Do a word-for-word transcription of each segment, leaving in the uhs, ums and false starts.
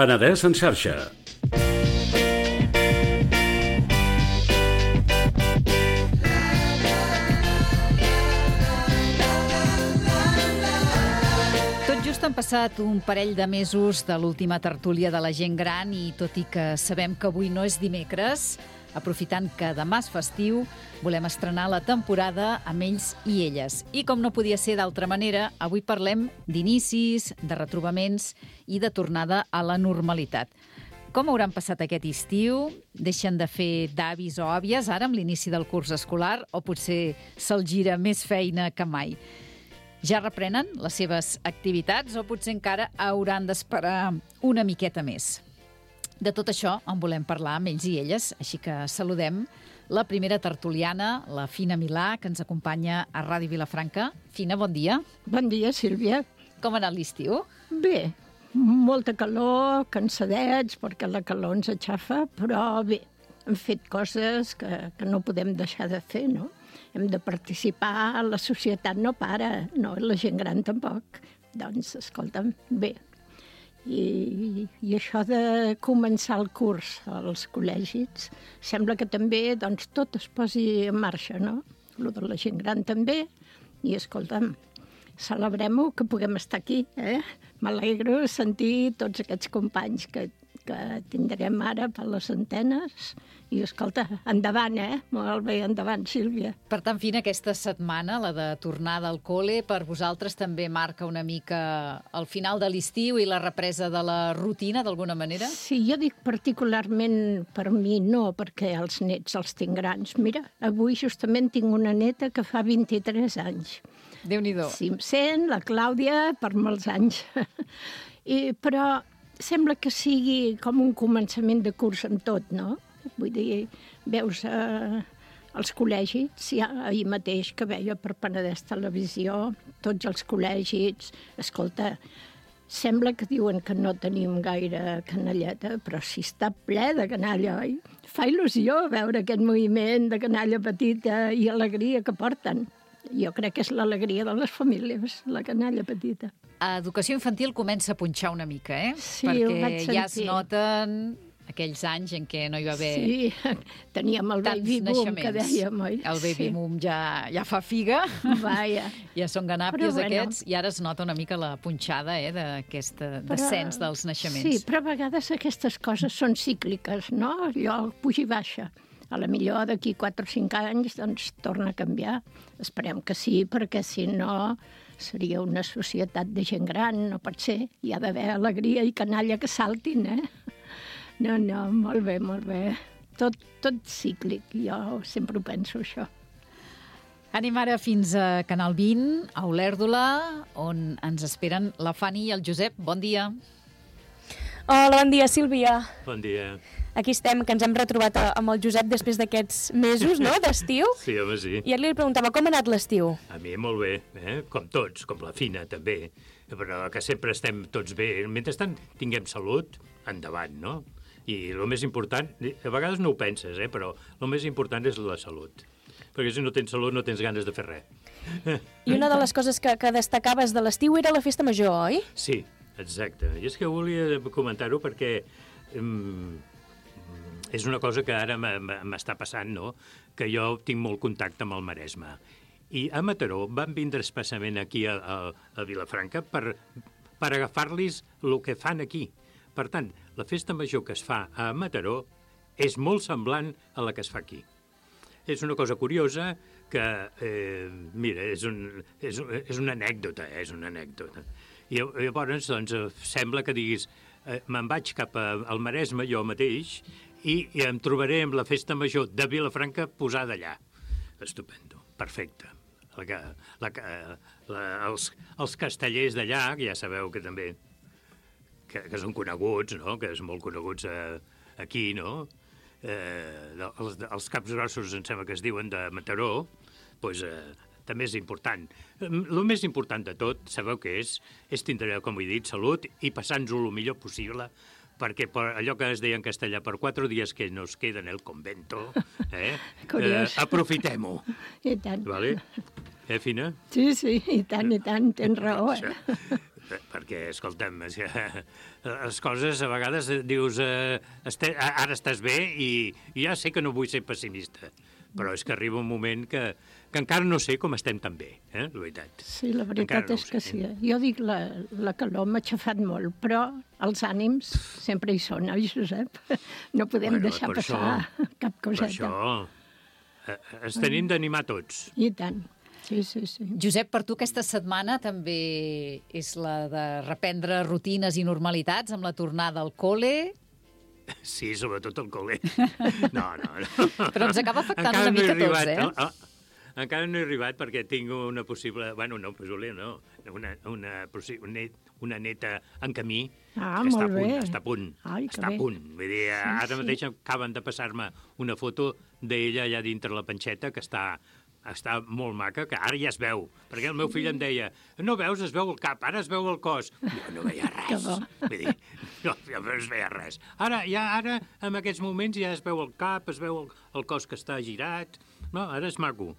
Penedès en xarxa. Tot just han passat un parell de mesos de l'última tertúlia de la gent gran i tot i que sabem que avui no és dimecres, aprofitant que demà és festiu, volem estrenar la temporada amb ells i elles. I com no podia ser d'altra manera, avui parlem d'inicis, de retrobaments i de tornada a la normalitat. Com hauran passat aquest estiu? Deixen de fer d'avis o àvies ara amb l'inici del curs escolar o potser se'ls gira més feina que mai? Ja reprenen les seves activitats o potser encara hauran d'esperar una miqueta més? De tot això en volem parlar amb ells i elles, així que saludem la primera tertuliana, la Fina Milà, que ens acompanya a Ràdio Vilafranca. Fina, bon dia. Bon dia, Sílvia. Com ha anat l'estiu? Bé, molta calor, cansadets, perquè la calor ens aixafa, però bé, hem fet coses que, que no podem deixar de fer, no? Hem de participar, la societat no para, no, la gent gran tampoc. Doncs, escolta'm, bé. I, i això de començar el curs als col·legis, sembla que també doncs, tot es posi en marxa, no? Lo de la gent gran també, i escolta'm, celebrem-ho que puguem estar aquí, eh? M'alegro sentir tots aquests companys que, que tindrem ara per les antenes, i escolta, endavant, eh? Molt bé, endavant, Sílvia. Per tant, Fina, aquesta setmana, la de tornada al col·le, per vosaltres també marca una mica el final de l'estiu i la represa de la rutina, d'alguna manera? Sí, jo dic particularment per mi no, perquè els nets els tinc grans. Mira, avui justament tinc una neta que fa vint-i-tres anys. Déu-n'hi-do. Sí, em sent, la Clàudia, per molts anys. I, però sembla que sigui com un començament de curs en tot, no? Vull dir, veus eh, els col·legis, ja ahir mateix que veia per Penedès Televisió, tots els col·legis, escolta, sembla que diuen que no tenim gaire canalleta, però si està ple de canalla, oi? Fa il·lusió veure aquest moviment de canalla petita i alegria que porten. Jo crec que és l'alegria de les famílies, la canalla petita. A educació infantil comença a punxar una mica, eh? Sí, perquè ho vaig sentir. Ja es noten aquells anys en què no hi va haver sí, teníem el baby boom que dèiem, oi? El baby sí. boom ja, ja fa figa, Vaja. ja són ganàpies bueno. aquests, i ara es nota una mica la punxada eh, d'aquest descens dels naixements. Sí, però a vegades aquestes coses són cícliques, no? Allò puja i baixa. A la millor d'aquí quatre o cinc anys doncs torna a canviar. Esperem que sí, perquè si no seria una societat de gent gran, no pot ser. Hi ha d'haver alegria i canalla que saltin, eh? No, no, molt bé, molt bé. Tot, tot cíclic, jo sempre ho penso, això. Anem ara fins a Canal vint, a Olèrdola, on ens esperen la Fanny i el Josep. Bon dia. Hola, bon dia, Sílvia. Bon dia. Aquí estem, que ens hem retrobat amb el Josep després d'aquests mesos, no?, d'estiu. Sí, home, sí. I ara li preguntava, com ha anat l'estiu? A mi molt bé, eh? Com tots, com la Fina, també. Però que sempre estem tots bé. Mentrestant tinguem salut, endavant, no? I el més important, a vegades no ho penses, eh? Però el més important és la salut. Perquè si no tens salut no tens ganes de fer res. I una de les coses que, que destacaves de l'estiu era la festa major, oi? Sí, exacte. I és que volia comentar-ho perquè um, és una cosa que ara m'està passant, no? Que jo tinc molt contacte amb el Maresme. I a Mataró van vindre especialment aquí a, a, a Vilafranca per, per agafar-los el que fan aquí. Per tant, la festa major que es fa a Mataró és molt semblant a la que es fa aquí. És una cosa curiosa que, eh, mira, és, un, és, és una anècdota, eh, és una anècdota. I llavors, doncs, sembla que diguis, eh, me'n vaig cap a, al Maresme, jo mateix, i, i em trobaré amb la festa major de Vilafranca posada allà. Estupendo, perfecte. la, la, la, els, els castellers d'allà, que ja sabeu que també que, que són coneguts, no? Que són molt coneguts eh, aquí, no? Eh, els, els caps grossos, em sembla que es diuen, de Mataró, doncs, eh, també és important. El més important de tot, sabeu què és? És tindre, com he dit, salut i passar-nos-ho el millor possible, perquè per allò que es deia en castellà, per quatre dies que nos queda en el convento, eh, eh, aprofitem-ho. I tant. Vale? Eh, Fina? Sí, sí, i tant, i tant, tens raó. Eh? Perquè, escolta'm, les coses a vegades dius eh, este, ara estàs bé i, i ja sé que no vull ser pessimista, però és que arriba un moment que, que encara no sé com estem tan bé, eh, la veritat. Sí, la veritat no és que sí. Jo dic, la, la calor m'ha aixafat molt, però els ànims sempre hi són, oi, Josep? No podem Bueno, deixar per passar això- cap Per coseta. això eh, ens tenim d'animar tots. I tant. Sí, sí, sí. Josep, per tu aquesta setmana també és la de reprendre rutines i normalitats amb la tornada al col·le. Sí, sobretot el col·le. No, no, no. Però ens acaba afectant Encara una no he mica a tots, arribat, eh? no, ah, encara no he arribat perquè tinc una possible... Bueno, no, possible no. Una, una, possi- una, net- una neta en camí Ah, que està molt a punt, bé. està a punt. Ai, que està bé. a punt. Vull dir, Sí, ara sí. mateix acaben de passar-me una foto d'ella allà dintre la panxeta que està està molt maca, que ara ja es veu. Perquè el meu fill em deia, no veus, es veu el cap, ara es veu el cos. Jo no veia Que res. bo. Vull dir, no, jo no es veia res. Ara, ja, ara, en aquests moments, ja es veu el cap, es veu el, el cos que està girat. No, ara és maco.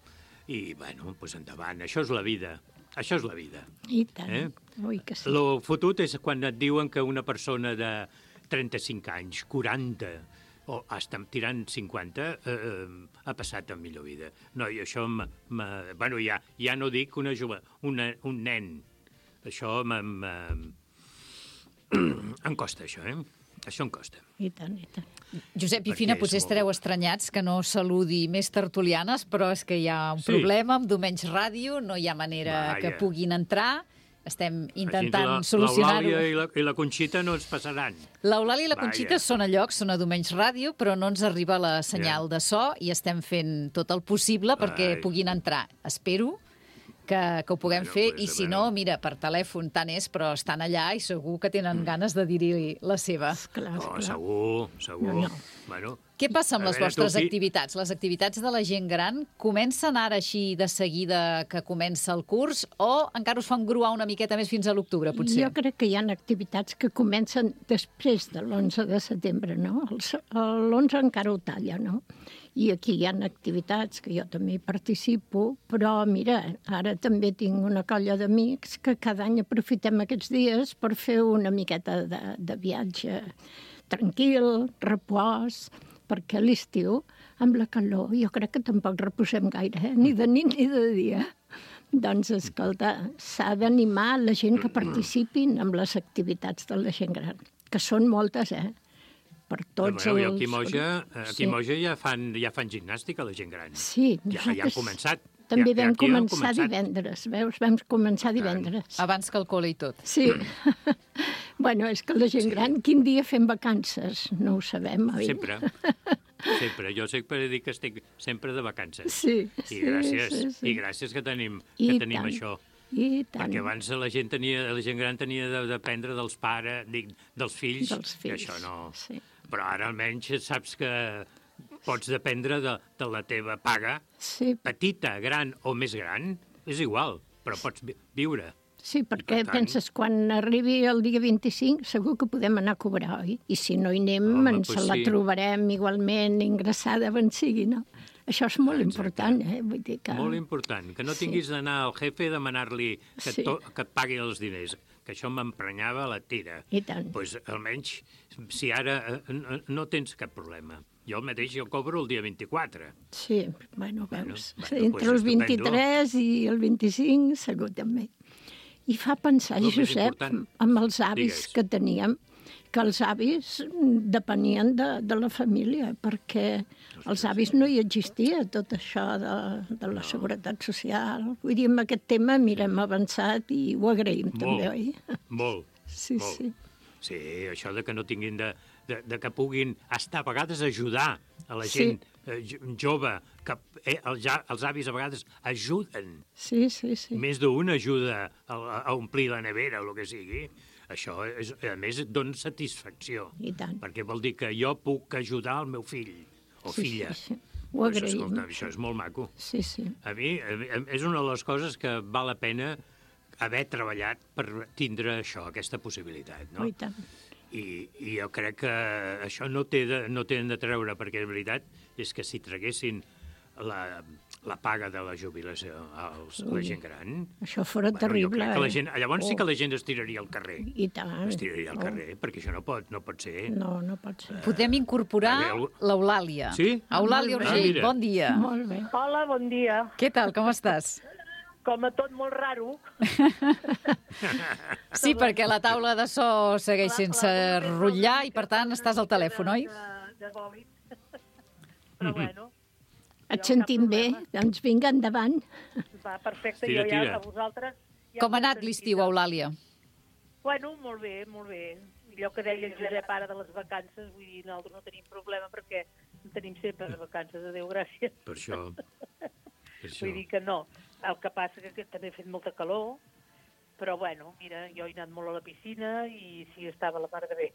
I, bueno, doncs endavant, això és la vida. Això és la vida. I tant. Eh? Ui, que sí. Lo fotut és quan et diuen que una persona de trenta-cinc anys, quaranta, o hasta tirant cinquanta, eh, ha passat a millor vida. No, i això, m, m, bueno, ja, ja no dic una jove, una, un nen. Això m, m, em costa, això, eh? Això em costa. I tant, i tant. Josep i Perquè Fina, és potser molt- estareu estranyats que no saludi més tertulianes, però és que hi ha un Sí. problema amb Domenys Ràdio, no hi ha manera Vaja. que puguin entrar. Estem intentant Així la- solucionar-ho. L'Eulàlia i, la, i la Conxita no ens passaran. L'Eulàlia i la Vaja. Conxita són a lloc, són a Domenys Ràdio, però no ens arriba la senyal de so i estem fent tot el possible perquè Ai. puguin entrar. Espero que, que ho puguem Bueno, fer pues, i si bueno. no, mira, per telèfon tant és, però estan allà i segur que tenen ganes de dir-hi la seva. Clar, Oh, clar. segur, segur. No, no. Bueno, Què passa amb a les veure, vostres tu, fi- activitats? Les activitats de la gent gran comencen ara així de seguida que comença el curs o encara us fan gruar una miqueta més fins a l'octubre, potser? Jo crec que hi ha activitats que comencen després de l'onze de setembre, no? L'onze encara ho talla, no? I aquí hi ha activitats que jo també hi participo, però mira, ara també tinc una colla d'amics que cada any aprofitem aquests dies per fer una miqueta de, de viatge tranquil, repòs, perquè a l'estiu, amb la calor, jo crec que tampoc reposem gaire, eh? Ni de nit ni de dia. Doncs, escolta, s'ha d'animar la gent que participin en les activitats de la gent gran, que són moltes, eh? Per tots Bueno, i els... aquí a Moja, aquí Sí. a Moja ja fan, ja fan gimnàstica, la gent gran. Sí, Ja, ja han nosaltres començat. També ja, ja vam aquí han començar començat. divendres, veus? Vam començar divendres. Abans que el col·le i tot. Sí. Bueno, és que la gent gran, quin dia fem vacances? No ho sabem, oi? Sempre. Sempre. Jo sempre dic que estic sempre de vacances. Sí, I sí, gràcies, sí, sí. I gràcies que tenim, I que tenim tant. això. I tant. Perquè abans la gent, tenia, la gent gran tenia de- d'aprendre dels pares, dic, dels fills, Dels fills, i això no... sí. Però ara almenys saps que pots dependre de, de la teva paga, Sí, petita, gran o més gran, és igual, però pots vi- viure. sí, perquè per tant- penses, quan arribi el dia vint-i-cinc segur que podem anar a cobrar, oi? I si no hi anem, Home, ens pues la sí. trobarem igualment ingressada on sigui, no? Això és molt important, eh? Vull dir que... Molt important, que no Sí. tinguis d'anar al jefe a demanar-li que, Sí. to, que et pagui els diners, que això m'emprenyava la tira. I tant. Pues, almenys, si ara eh, no, no tens cap problema. Jo el mateix jo cobro el dia vint-i-quatre. Sí, bueno, Bueno, veus, bueno, entre pues el estupendo. vint-i-tres i el vint-i-cinc segur també. I fa pensar, El més Josep, important. amb els avis Digues. que teníem, que els avis depenien de, de la família, perquè els avis no hi existia, tot això de, de la seguretat social. Vull dir, amb aquest tema, mira, hem avançat i ho agraïm també, oi? Molt, Sí, molt. sí. Sí, això de que no tinguin de, de, de que puguin estar a vegades a ajudar a la Sí. gent eh, jove, que eh, els, ja, els avis a vegades ajuden. Sí, sí, sí. Més d'un ajuda a, a omplir la nevera o el que sigui. Això, és, a més, et dona satisfacció. I tant. Perquè vol dir que jo puc ajudar el meu fill o Sí, filla. sí, sí. Ho Pues, agraïm. escolta, això és molt maco. Sí, sí. A mi a mi, és una de les coses que val la pena haver treballat per tindre això, aquesta possibilitat, no? Oh, i tant. I, I jo crec que això no té de, no tenen de treure, perquè la veritat és que si traguessin la, la paga de la jubilació als, a la gent gran... Això fora jo terrible, crec que la eh? gent, llavors sí Oh. que la gent es tiraria al carrer. I tant. Es tiraria al Oh. carrer, perquè això no pot, no pot ser. No, no pot ser. Podem incorporar A veure, l'Eulàlia. Sí? Eulàlia Molt bé. Urgell, Ah, mira. bon dia. Molt bé. Hola, bon dia. Què tal, com estàs? Com a tot molt raro. Sí, perquè la taula de so segueix sense rotllar i, per tant, estàs al telèfon, oi? De, de bòlit. Però bueno. Et sentim bé? Doncs vinga, endavant. Va, perfecte. Tira, jo ja tira. a vosaltres... Ja Com ha us anat he l'estiu, sentit. Eulàlia? Bueno, molt bé, molt bé. Allò que deia el Josep ara de les vacances, vull dir, nosaltres no tenim problema perquè en tenim sempre de vacances, adéu, gràcies. Per això. Per això. Vull dir que no. El que passa que, que també ha fet molta calor, però bueno, mira, jo he anat molt a la piscina i sí, estava la mar de bé.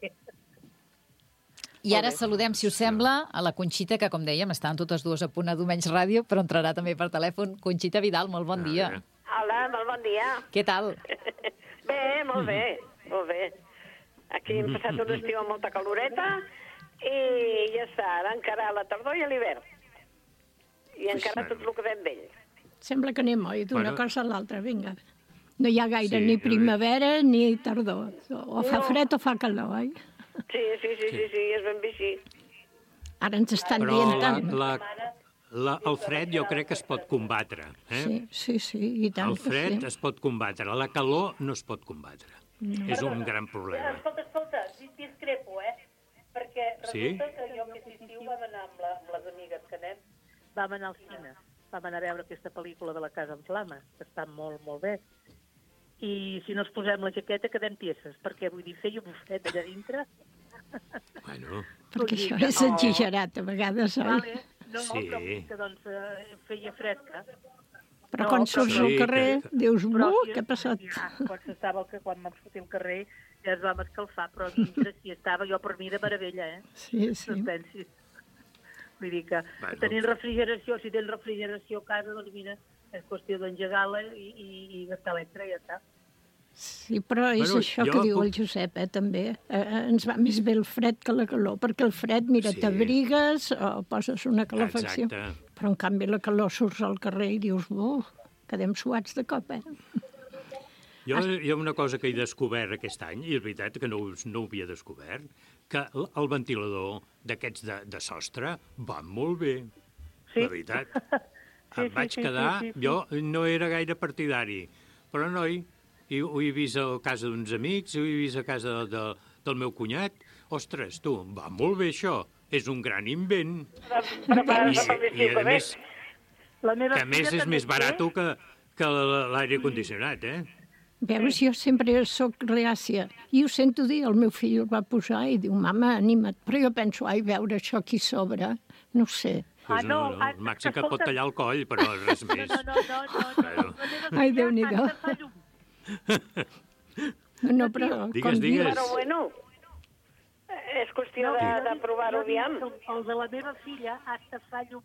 I ara Molt bé. saludem, si us sembla, a la Conxita, que, com dèiem, estan totes dues a punt a Domenys Ràdio, però entrarà també per telèfon. Conxita Vidal, molt bon dia. veure. Hola, molt bon dia. Què tal? Bé, molt bé, molt bé. Aquí hem passat un estiu amb molta caloreta i ja està, ara encara la tardor i l'hivern. I encara tot el que ve amb ell. Sembla que anem, oi, d'una Bueno. cosa a l'altra, vinga. No hi ha gaire Sí, ni jo- primavera ni tardor. O fa No. fred o fa calor, oi? Sí, sí, sí, sí, sí, és ben bé així. Ara ens estan Però dient la, tant. la, la, el fred jo crec que es pot combatre. Eh? Sí, sí, sí, i tant El fred que sí. es pot combatre, la calor no es pot combatre. No. És un gran problema. Escolta, escolta, dis- discrepo, eh? Perquè Sí? resulta que jo aquest estiu vam anar amb, la, amb les amigues que anem, vam anar al cine, vam anar a veure aquesta pel·lícula de La casa en flames, que està molt, molt bé. I si no ens posem la jaqueta quedem tieses, perquè vull dir, feia un fred allà dintre. Bueno, Perquè Vull dir això que és no. exagerat a vegades, oi? Vale? No, Sí. però vull dir que doncs eh, feia fresca. Però No, quan però surts sí, al carrer que- dius, Però uh, sí, què ha passat? Ja, quan s'estava, que quan vam sortir al carrer ja es vam escalfar, però dintre sí estava jo per mi de meravella, eh? Sí, sí. No et pensis. Vull dir que Bueno. tenint refrigeració, si tens refrigeració a casa, doncs mira, és qüestió d'engegar-la i, i, i gastar l'extra i ja està. Sí, però és Bueno, això jo que diu puc- el Josep, eh, també. Eh, ens va més bé el fred que la calor, perquè el fred, mira, Sí. t'abrigues o poses una calefacció. exacte. Però, en canvi, la calor surts al carrer i dius, uh, quedem suats de cop, eh? Jo hi ha una cosa que he descobert aquest any, i és veritat que no, ho- no ho havia descobert, que el, el ventilador d'aquests de, de sostre va molt bé. Sí. La veritat. Sí, Em sí, vaig sí, quedar... sí, sí, sí. Jo no era gaire partidari, però, noi, i, ho he vist a casa d'uns amics, ho he vist a casa de, de, del meu cunyat. Ostres, tu, va molt bé això. És un gran invent. Però, però, I, i a més, La meva que a més filla és també més té- barat que, que l'aire condicionat, eh? Veus, jo sempre sóc reàcia. I ho sento dir, el meu fill el va posar i diu, mama, anima't. Però jo penso, ai, veure això aquí sobre, no ho sé. Pues Ah, no, no, no, ah, el màxim que et pot escolta- tallar el coll, però res més. No, no, no, no, no. Bueno. La meva Ai, filla Déu-n'hi-do. hasta fa llum. No, no, però... Digues, com diu- digues. Però bueno, és qüestió de, de provar-ho jo dic aviam. que El de la meva filla hasta fa llum.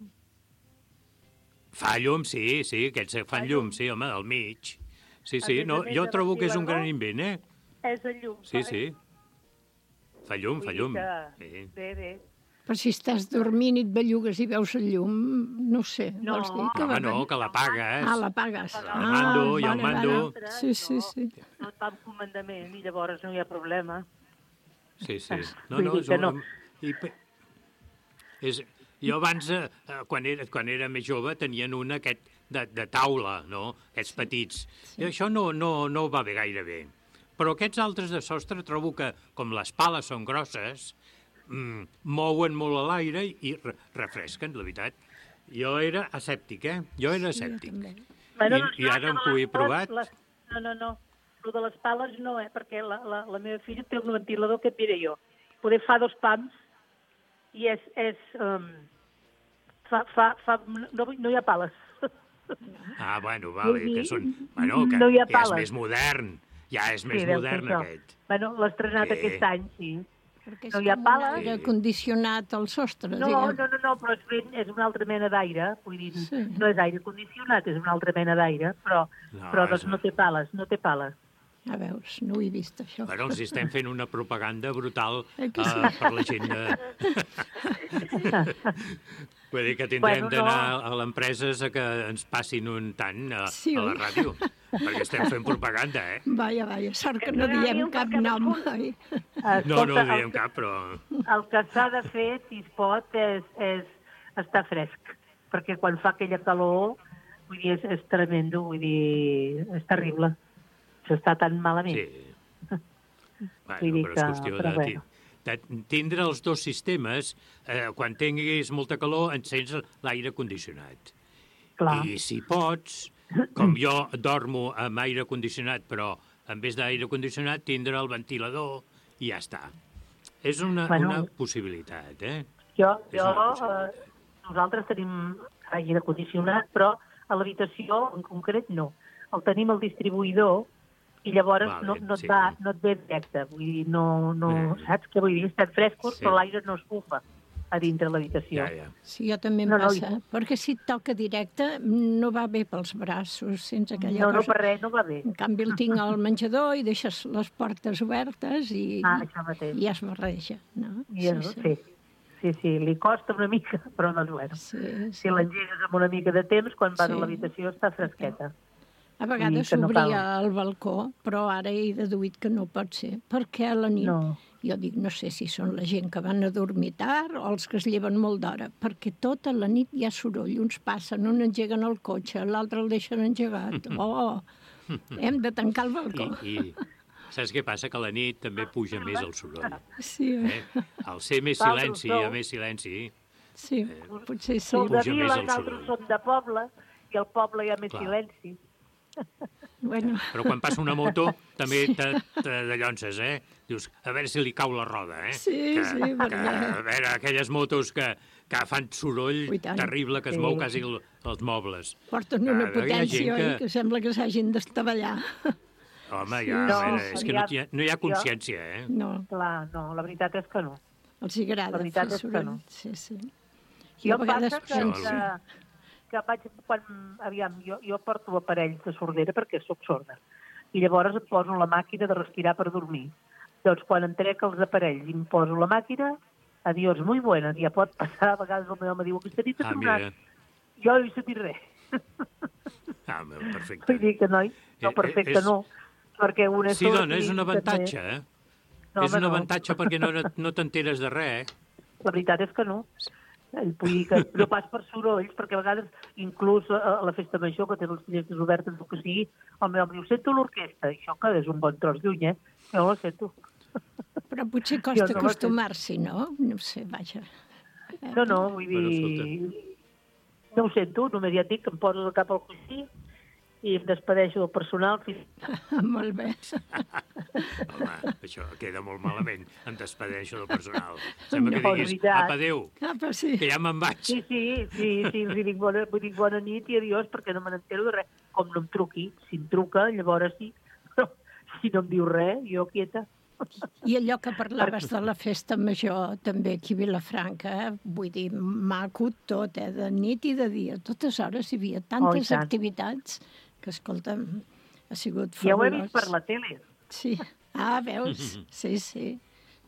Fa llum, sí, sí, aquests que fan llum, sí, home, al mig. Sí, sí, A més a no, més, jo de trobo que és un gran ventilador. invent, eh? És el llum. Sí, fa- sí. Fa llum, vull fa dir llum. que- Sí. Bé, bé. Però si estàs dormint i et bellugues i veus el llum, no ho sé, No. vols dir que Home, va no, bé? que l'apagues. Ah, l'apagues. El mando, hi ha un vale, mando. vale. Sí, sí, sí. No et va amb comandament i llavors no hi ha problema. Sí, sí. No, Vull no, dir és que un... no. I, pe- és... Jo abans, eh, quan, era, quan era més jove, tenien un aquest de, de taula, no? Aquests petits. I això no, no, no va bé gaire bé. Però aquests altres de sostre trobo que, com les pales són grosses, mm, mouen molt a l'aire i re refresquen, la veritat. Jo era escèptic, eh? Jo era escèptic. Bueno, I, doncs I no, ara que em de ho he les- provat. Les, no, no, no. El de les pales no, eh? Perquè la, la, la meva filla té un ventilador que et diré jo. Poder fa dos pams i és, és, um, fa, fa, fa, no, no hi ha pales. Ah, bueno, vale, que són... Bueno, que no hi ha ja és pales. més modern. Ja és més Sí, deu ser modern, això. aquest. Bueno, l'ha estrenat Sí. aquest any, sí. Perquè és No hi ha com un pales. aire condicionat al sostre, No, diguem. no, no, no, però és, ben, és una altra mena d'aire. Vull dir, Sí. no és aire condicionat, és una altra mena d'aire, però, No, però doncs és- no té pales, no té pales. A veus, no ho he vist, això. Bueno, els estem fent una propaganda brutal Eh que uh, sí? per la gent de... Vull dir que tindrem Bueno, no. d'anar a l'empreses a que ens passin un tant a, Sí, a la oi? ràdio, perquè estem fent propaganda, eh? Vaja, vaja, sort que no Ràdio diem per cap nom, cadascun. oi? No, no ho el, diem cap, però... el que s'ha de fer, si es pot, és, és estar fresc, perquè quan fa aquella calor, vull dir, és, és tremendo, vull dir, és terrible. S'està tan malament. Sí. Bueno, Vull dir però és que- qüestió però de, bueno. de tindre els dos sistemes. Eh, quan tinguis molta calor, encens l'aire condicionat. Clar. I si pots, com jo dormo amb aire condicionat, però en vez d'aire condicionat tindre el ventilador i ja està. És una, Bueno. una possibilitat, eh? Jo, És jo una eh, possibilitat. nosaltres tenim aire condicionat, però a l'habitació en concret no. El tenim al distribuïdor i llavors Vale, no, no, et sí. va, no et ve directe. Vull dir, no, no, Eh. saps què vull dir? Estan frescos, Sí. però l'aire no es bufa a dintre l'habitació. Ja, ja. Sí, jo també em No, no, passa, i- perquè si et toca directe no va bé pels braços, sense aquella No, no, cosa. per res, no va bé. En canvi el tinc al menjador i deixes les portes obertes i, Ah, això mateix. i ja es barreja, no? I és, sí, sí, sí, li costa una mica, però doncs bueno. Sí, Si sí. l'engegues amb una mica de temps, quan vas Sí. a l'habitació està fresqueta. A vegades que no s'obria cal. el balcó, però ara he deduït que no pot ser, perquè a la nit, No. jo dic, no sé si són la gent que van a dormir tard o els que es lleven molt d'hora, perquè tota la nit hi ha soroll, uns passen, un engeguen el cotxe, l'altre el deixen engegat. Oh, hem de tancar el balcó. I, I saps què passa? Que a la nit també puja més el soroll. Sí, Eh? Al ser més Vosaltres silenci, sou- hi ha més silenci. sí, potser sí. Sou de Puja més vila, el nosaltres soroll. som de poble, i al poble hi ha més Clar. silenci. Bueno, Però quan passa una moto també te, te dallonses, eh? Dius, a veure si li cau la roda, eh? Sí, que, sí, que, perquè- a veure, aquelles motos que, que fan soroll Ui, tant. terrible, que es Sí. mou quasi el, els mobles. porten una Ah, hi ha potència, gent oi, que- que sembla que s'hagin d'estavellar. Home, ja, No, a veure, és que no, hi ha, no hi ha jo- consciència, eh? No, Clar, no, la veritat és que no. els hi agrada La veritat fer és que soroll. no. Sí, sí. Jo a vegades passa que, penso... que, que vaig, quan, aviam, jo, jo porto aparells de sordera perquè sóc sorda. I llavors em poso la màquina de respirar per dormir. Doncs quan em trec els aparells i em poso la màquina, adiós, muy buena, ja pot passar, a vegades el meu home diu, aquesta nit ha Ah, tornat. mira. Jo no he sentit res. Ah, perfecte. Vull dir que no, no Eh, perfecte és- no, perquè una és Sí, sorda dona, és i un també- avantatge, eh? No, és home, un no. avantatge perquè no, no t'enteres de res, eh? La veritat és que no. Vull dir que no pas per sorolls, perquè a vegades, inclús a la festa major, que té les finestres obertes, el que sigui, el meu home diu, sento l'orquestra. I això que és un bon tros lluny, eh? Jo no la sento. Però potser Jo costa no la acostumar-s'hi, no? No sé, vaja. No, no, vull Bueno, dir... No ho sento, només ja et dic que em poso el cap al coixí i em despedeixo del personal fins... Molt bé. Home, això queda molt malament. Em despedeixo del personal. Sembla que No, diguis, veritat. apa, adéu, Apa, sí. que ja me'n vaig. Sí, sí, sí, sí, els hi dic bona, vull dir bona nit i adiós perquè no me n'entero de res. Com no em truqui, si em truca, llavors sí. Però si no em diu res, jo quieta. I allò que parlaves de la festa major, també aquí a Vilafranca, eh? Vull dir, maco tot, eh? De nit i de dia. A totes hores hi havia tantes tant. activitats que, escolta'm, ha sigut Ja ho he fabulós. vist per la tele. Sí. Ah, veus? Sí, sí.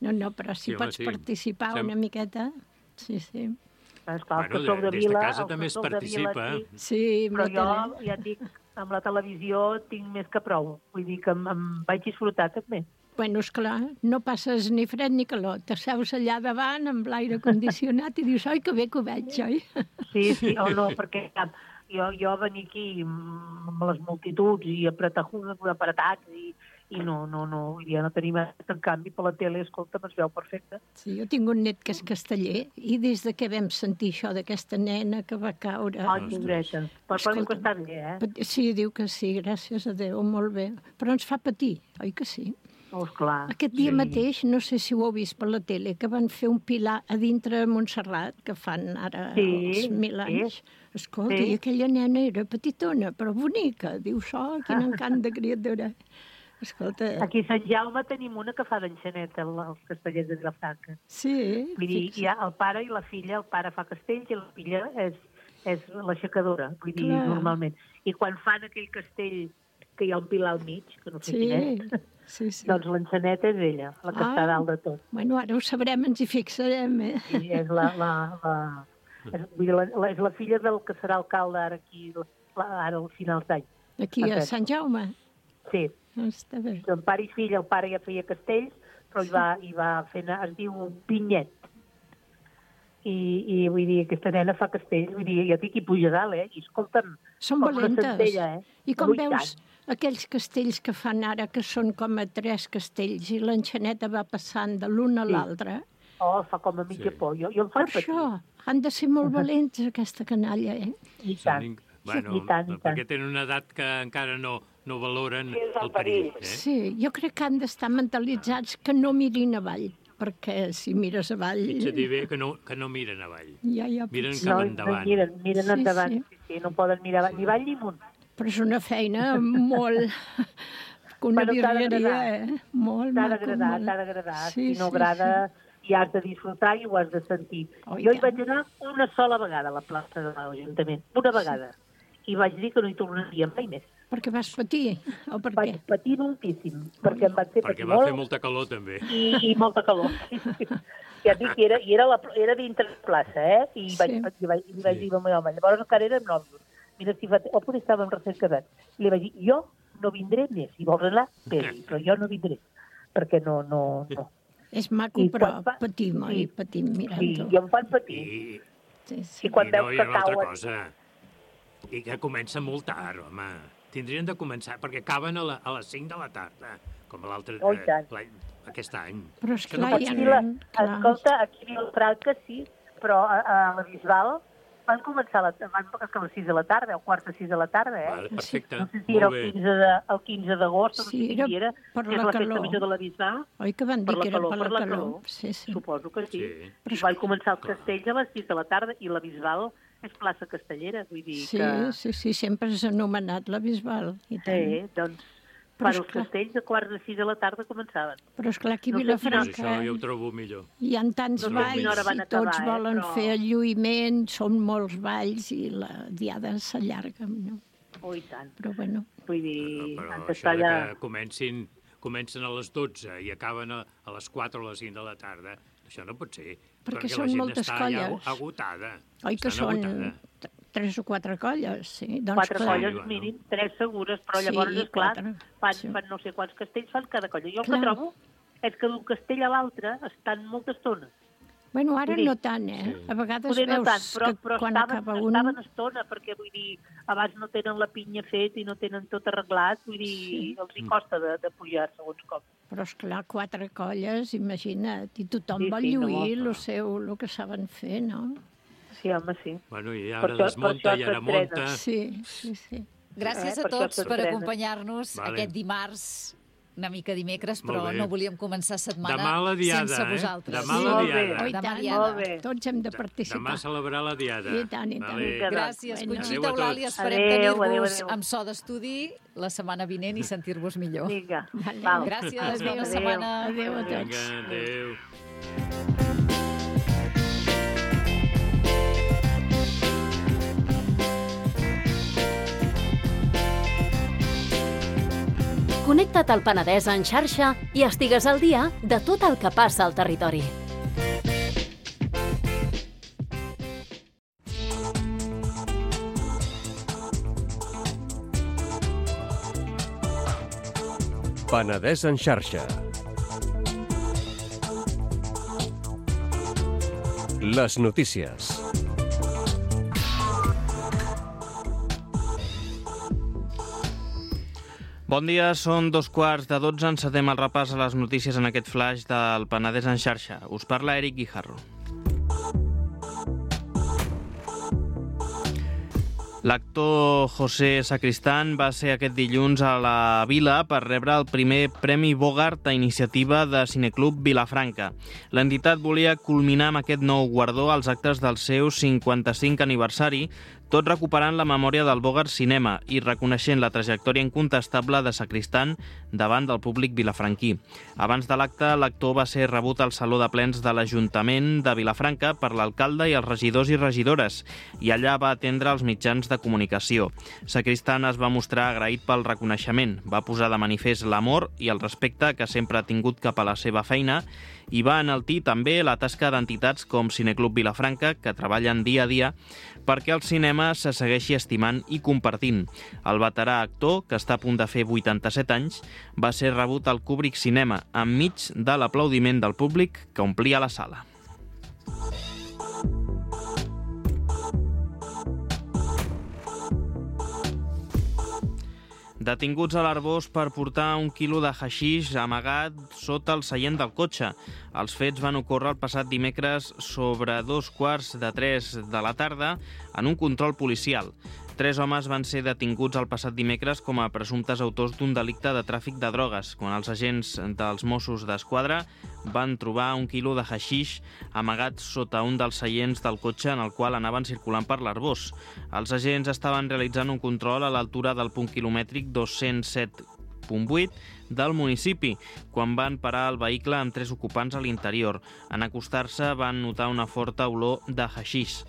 No, no, però si Sí, home, pots sí. participar Sem- una miqueta... Sí, sí. Esclar, Bueno, els que sou de des de Vila... casa els que també es sou de Vila, participa. sí. Sí, amb Però la jo, tele. ja et dic, amb la televisió tinc més que prou. Vull dir que em, em vaig disfrutar també. Bueno, esclar, no passes ni fred ni calor. T'asseus allà davant amb l'aire condicionat i dius, oi, que bé que ho veig, oi? Sí, sí, o no, perquè jo, jo venir aquí amb les multituds i apretar, apretats i, i no, no, no, vull dir, no tenim... En canvi, per la tele, escolta, es veu perfecte. Sí, jo tinc un net que és casteller i des de que vam sentir això d'aquesta nena que va caure... Ai, pobreta. Però, però diu que Escolta. està bé, eh? Pat- Sí, diu que sí, gràcies a Déu, molt bé. Però ens fa patir, oi que sí? Oh, esclar. Aquest dia Sí. mateix, no sé si ho heu vist per la tele, que van fer un pilar a dintre de Montserrat, que fan ara Sí, els mil anys. sí. Escolta, Sí. i aquella nena era petitona, però bonica. Diu, so, quin encant de criatura. Escolta, Aquí a Sant Jaume tenim una que fa d'enxaneta, els castellers de Vilafranca. sí, Vull dir, fixa. hi ha el pare i la filla, el pare fa castells i la filla és, és l'aixecadora, vull dir, Clar. normalment. I quan fan aquell castell que hi ha un pilar al mig, que no sé Sí, quin és, sí, sí. doncs l'enxaneta és ella, la que Ah. està dalt de tot. Bueno, ara ho sabrem, ens hi fixarem, eh? I és la, la, la, és, vull dir, la, la, és la filla del que serà alcalde ara aquí, la, ara al final d'any. Aquí a Aquest. Sant Jaume. Sí, Està bé. el pare i fill, el pare ja feia castells, però hi va, hi va fer, anar- es diu Pinyet. I, I vull dir, aquesta nena fa castells, vull dir, jo dic i puja dalt, eh? I escolta'm, Són com una valentes. centella, eh? I com Ui, veus tant. aquells castells que fan ara, que són com a tres castells, i l'enxaneta va passant de l'un a Sí. l'altre? Oh, fa com a mitja Sí. por. Jo, jo em Per faig patir. això, han de ser molt valents, aquesta canalla, eh? I Són tant. inc- Bueno, I tant, i tant. perquè tenen una edat que encara no, no valoren Sí, és el el perill. perill. Eh? Sí, jo crec que han d'estar mentalitzats que no mirin avall, perquè si mires avall... Pitja dir bé que no, que no miren avall. Ja, ja, Miren potser. cap No, endavant. no miren, miren Sí, endavant. sí. Sí, sí, no poden mirar avall, ni avall ni amunt. Però és una feina molt... que una Bueno, t'ha virgueria, d'agradar. eh? Molt T'ha maco, d'agradar, molt. t'ha d'agradar. Sí, Si no sí, agrada, i has de disfrutar i ho has de sentir. Oh, i jo hi tant. vaig anar una sola vegada a la plaça de l'Ajuntament, una vegada. I vaig dir que no hi tornaria mai més. Perquè vas patir, o per Vaig què? patir moltíssim, perquè em van fer Perquè patir va molt fer molta calor, també. i, i molta calor. Ja et dic que era, i era, la, era dintre la plaça, eh? I Sí. vaig, i vaig, i vaig Sí. dir al meu home, llavors encara érem nòvios. Mira, si fa... O potser estàvem recent casats. I li vaig dir, jo no vindré més. Si vols anar, bé, però jo no vindré. Perquè no, no, no. És maco, I però quan va- patim, oi? Sí. Patim Sí, mirant-ho. jo em fan patir. I, Sí, sí. I quan I no, veus hi que ha una altra cauen... cosa. I que comença molt tard, home. Tindrien de començar, perquè acaben a, la, a les cinc de la tarda, com l'altre... Oh, i tant. l'any- aquest any. Però és Que no clar, pot hi ha... Aquí la, clar. escolta, aquí a Vilafranca sí, però a, a la Bisbal van començar a, la, van, a les sis de la tarda, o quart de sis de la tarda, eh? Vale, perfecte, No sé si era molt el bé. quinze de- el quinze d'agost, o no Sí, sé quin dia era era, per que és la la calor. festa major de la Bisbal. Oi que van dir Per la que era calor, per la per la calor? calor. Sí, sí. Suposo que sí. Sí. I van començar els castells a les sis de la tarda i la Bisbal és plaça castellera, vull dir Sí, que... sí, sí, sempre és anomenat la Bisbal. I tant. Sí, doncs, Però per és els clar. castells de quarts de sis de la tarda començaven. Però és clar, aquí a No sé Doncs Vilafranca això ja ho trobo millor. hi ha tants No sé a quina hora balls van i acabar, tots eh, volen però- fer el lluïment, són molts balls i la diada s'allarga, no? Oh, i tant. Però bueno, Vull dir, Però han això d'estar de allà... que comencin, comencen a les dotze i acaben a, a les quatre o les cinc de la tarda, això no pot ser. Perquè la són gent moltes està ja colles. agotada. oi que Estan són agotada. t- tres o quatre colles, sí. Doncs Quatre clar, colles bueno. mínim, tres segures, però Sí, llavors, esclar, quatre, fan, sí. fan no sé quants castells, fan cada colla. Jo el Clar. que trobo és que d'un castell a l'altre estan molta estona. Bueno, ara Vull dir, no tant, eh? sí. A vegades Poder no veus tant, però, que però quan estaven, acaba un... estaven estona, perquè vull dir, abans no tenen la pinya fet i no tenen tot arreglat, vull dir, Sí. els hi costa de, de pujar segons com. Però, esclar, quatre colles, imagina't, i tothom Sí, vol sí, no, lluir no. el seu, el que saben fer, no? Sí, home, sí. Bueno, i Per ara això- per desmunta això i ara s'entrena. munta. Sí, sí, sí. Gràcies Eh, a per això tots per s'estrena. acompanyar-nos Vale. aquest dimarts, una mica dimecres, Molt però bé. no volíem començar setmana Demà la diada, sense eh? vosaltres. Demà la Molt bé. diada. Oh, i Demà tant, diada. Molt bé. Tots hem de participar. Demà celebrar la diada. I tant, i tant. Vale. Vinga, Gràcies, Bueno. Conxita Adéu a Eulàlia. tots. Esperem Adéu, adéu, tenir-vos adéu. amb so d'estudi la setmana vinent i sentir-vos millor. Vinga, Vale. val. Gràcies, Adéu. bona Adéu. setmana. Adéu a tots. Vinga, adéu. Connecta't al Penedès en xarxa i estigues al dia de tot el que passa al territori. Penedès en xarxa. Les notícies. Bon dia, són dos quarts de dotze. Encetem el repàs a les notícies en aquest flash del Penedès en xarxa. Us parla Eric Guijarro. L'actor José Sacristán va ser aquest dilluns a la Vila per rebre el primer Premi Bogart a iniciativa de Cineclub Vilafranca. L'entitat volia culminar amb aquest nou guardó als actes del seu cinquanta-cinquè aniversari, tot recuperant la memòria del Bogart Cinema i reconeixent la trajectòria incontestable de Sacristán davant del públic vilafranquí. Abans de l'acte, l'actor va ser rebut al Saló de Plens de l'Ajuntament de Vilafranca per l'alcalde i els regidors i regidores, i allà va atendre els mitjans de comunicació. Sacristán es va mostrar agraït pel reconeixement, va posar de manifest l'amor i el respecte que sempre ha tingut cap a la seva feina i va enaltir també la tasca d'entitats com Cineclub Vilafranca, que treballen dia a dia perquè el cinema se segueixi estimant i compartint. El veterà actor, que està a punt de fer vuitanta-set anys, va ser rebut al Kubrick Cinema, enmig de l'aplaudiment del públic que omplia la sala. Detinguts a l'Arboç per portar un quilo de haixix amagat sota el seient del cotxe. Els fets van ocórrer el passat dimecres sobre dos quarts de tres de la tarda en un control policial. Tres homes van ser detinguts el passat dimecres com a presumptes autors d'un delicte de tràfic de drogues, quan els agents dels Mossos d'Esquadra van trobar un quilo de haixix amagat sota un dels seients del cotxe en el qual anaven circulant per l'Arboç. Els agents estaven realitzant un control a l'altura del punt quilomètric dos-cents set punt vuit del municipi, quan van parar el vehicle amb tres ocupants a l'interior. En acostar-se van notar una forta olor de haixix.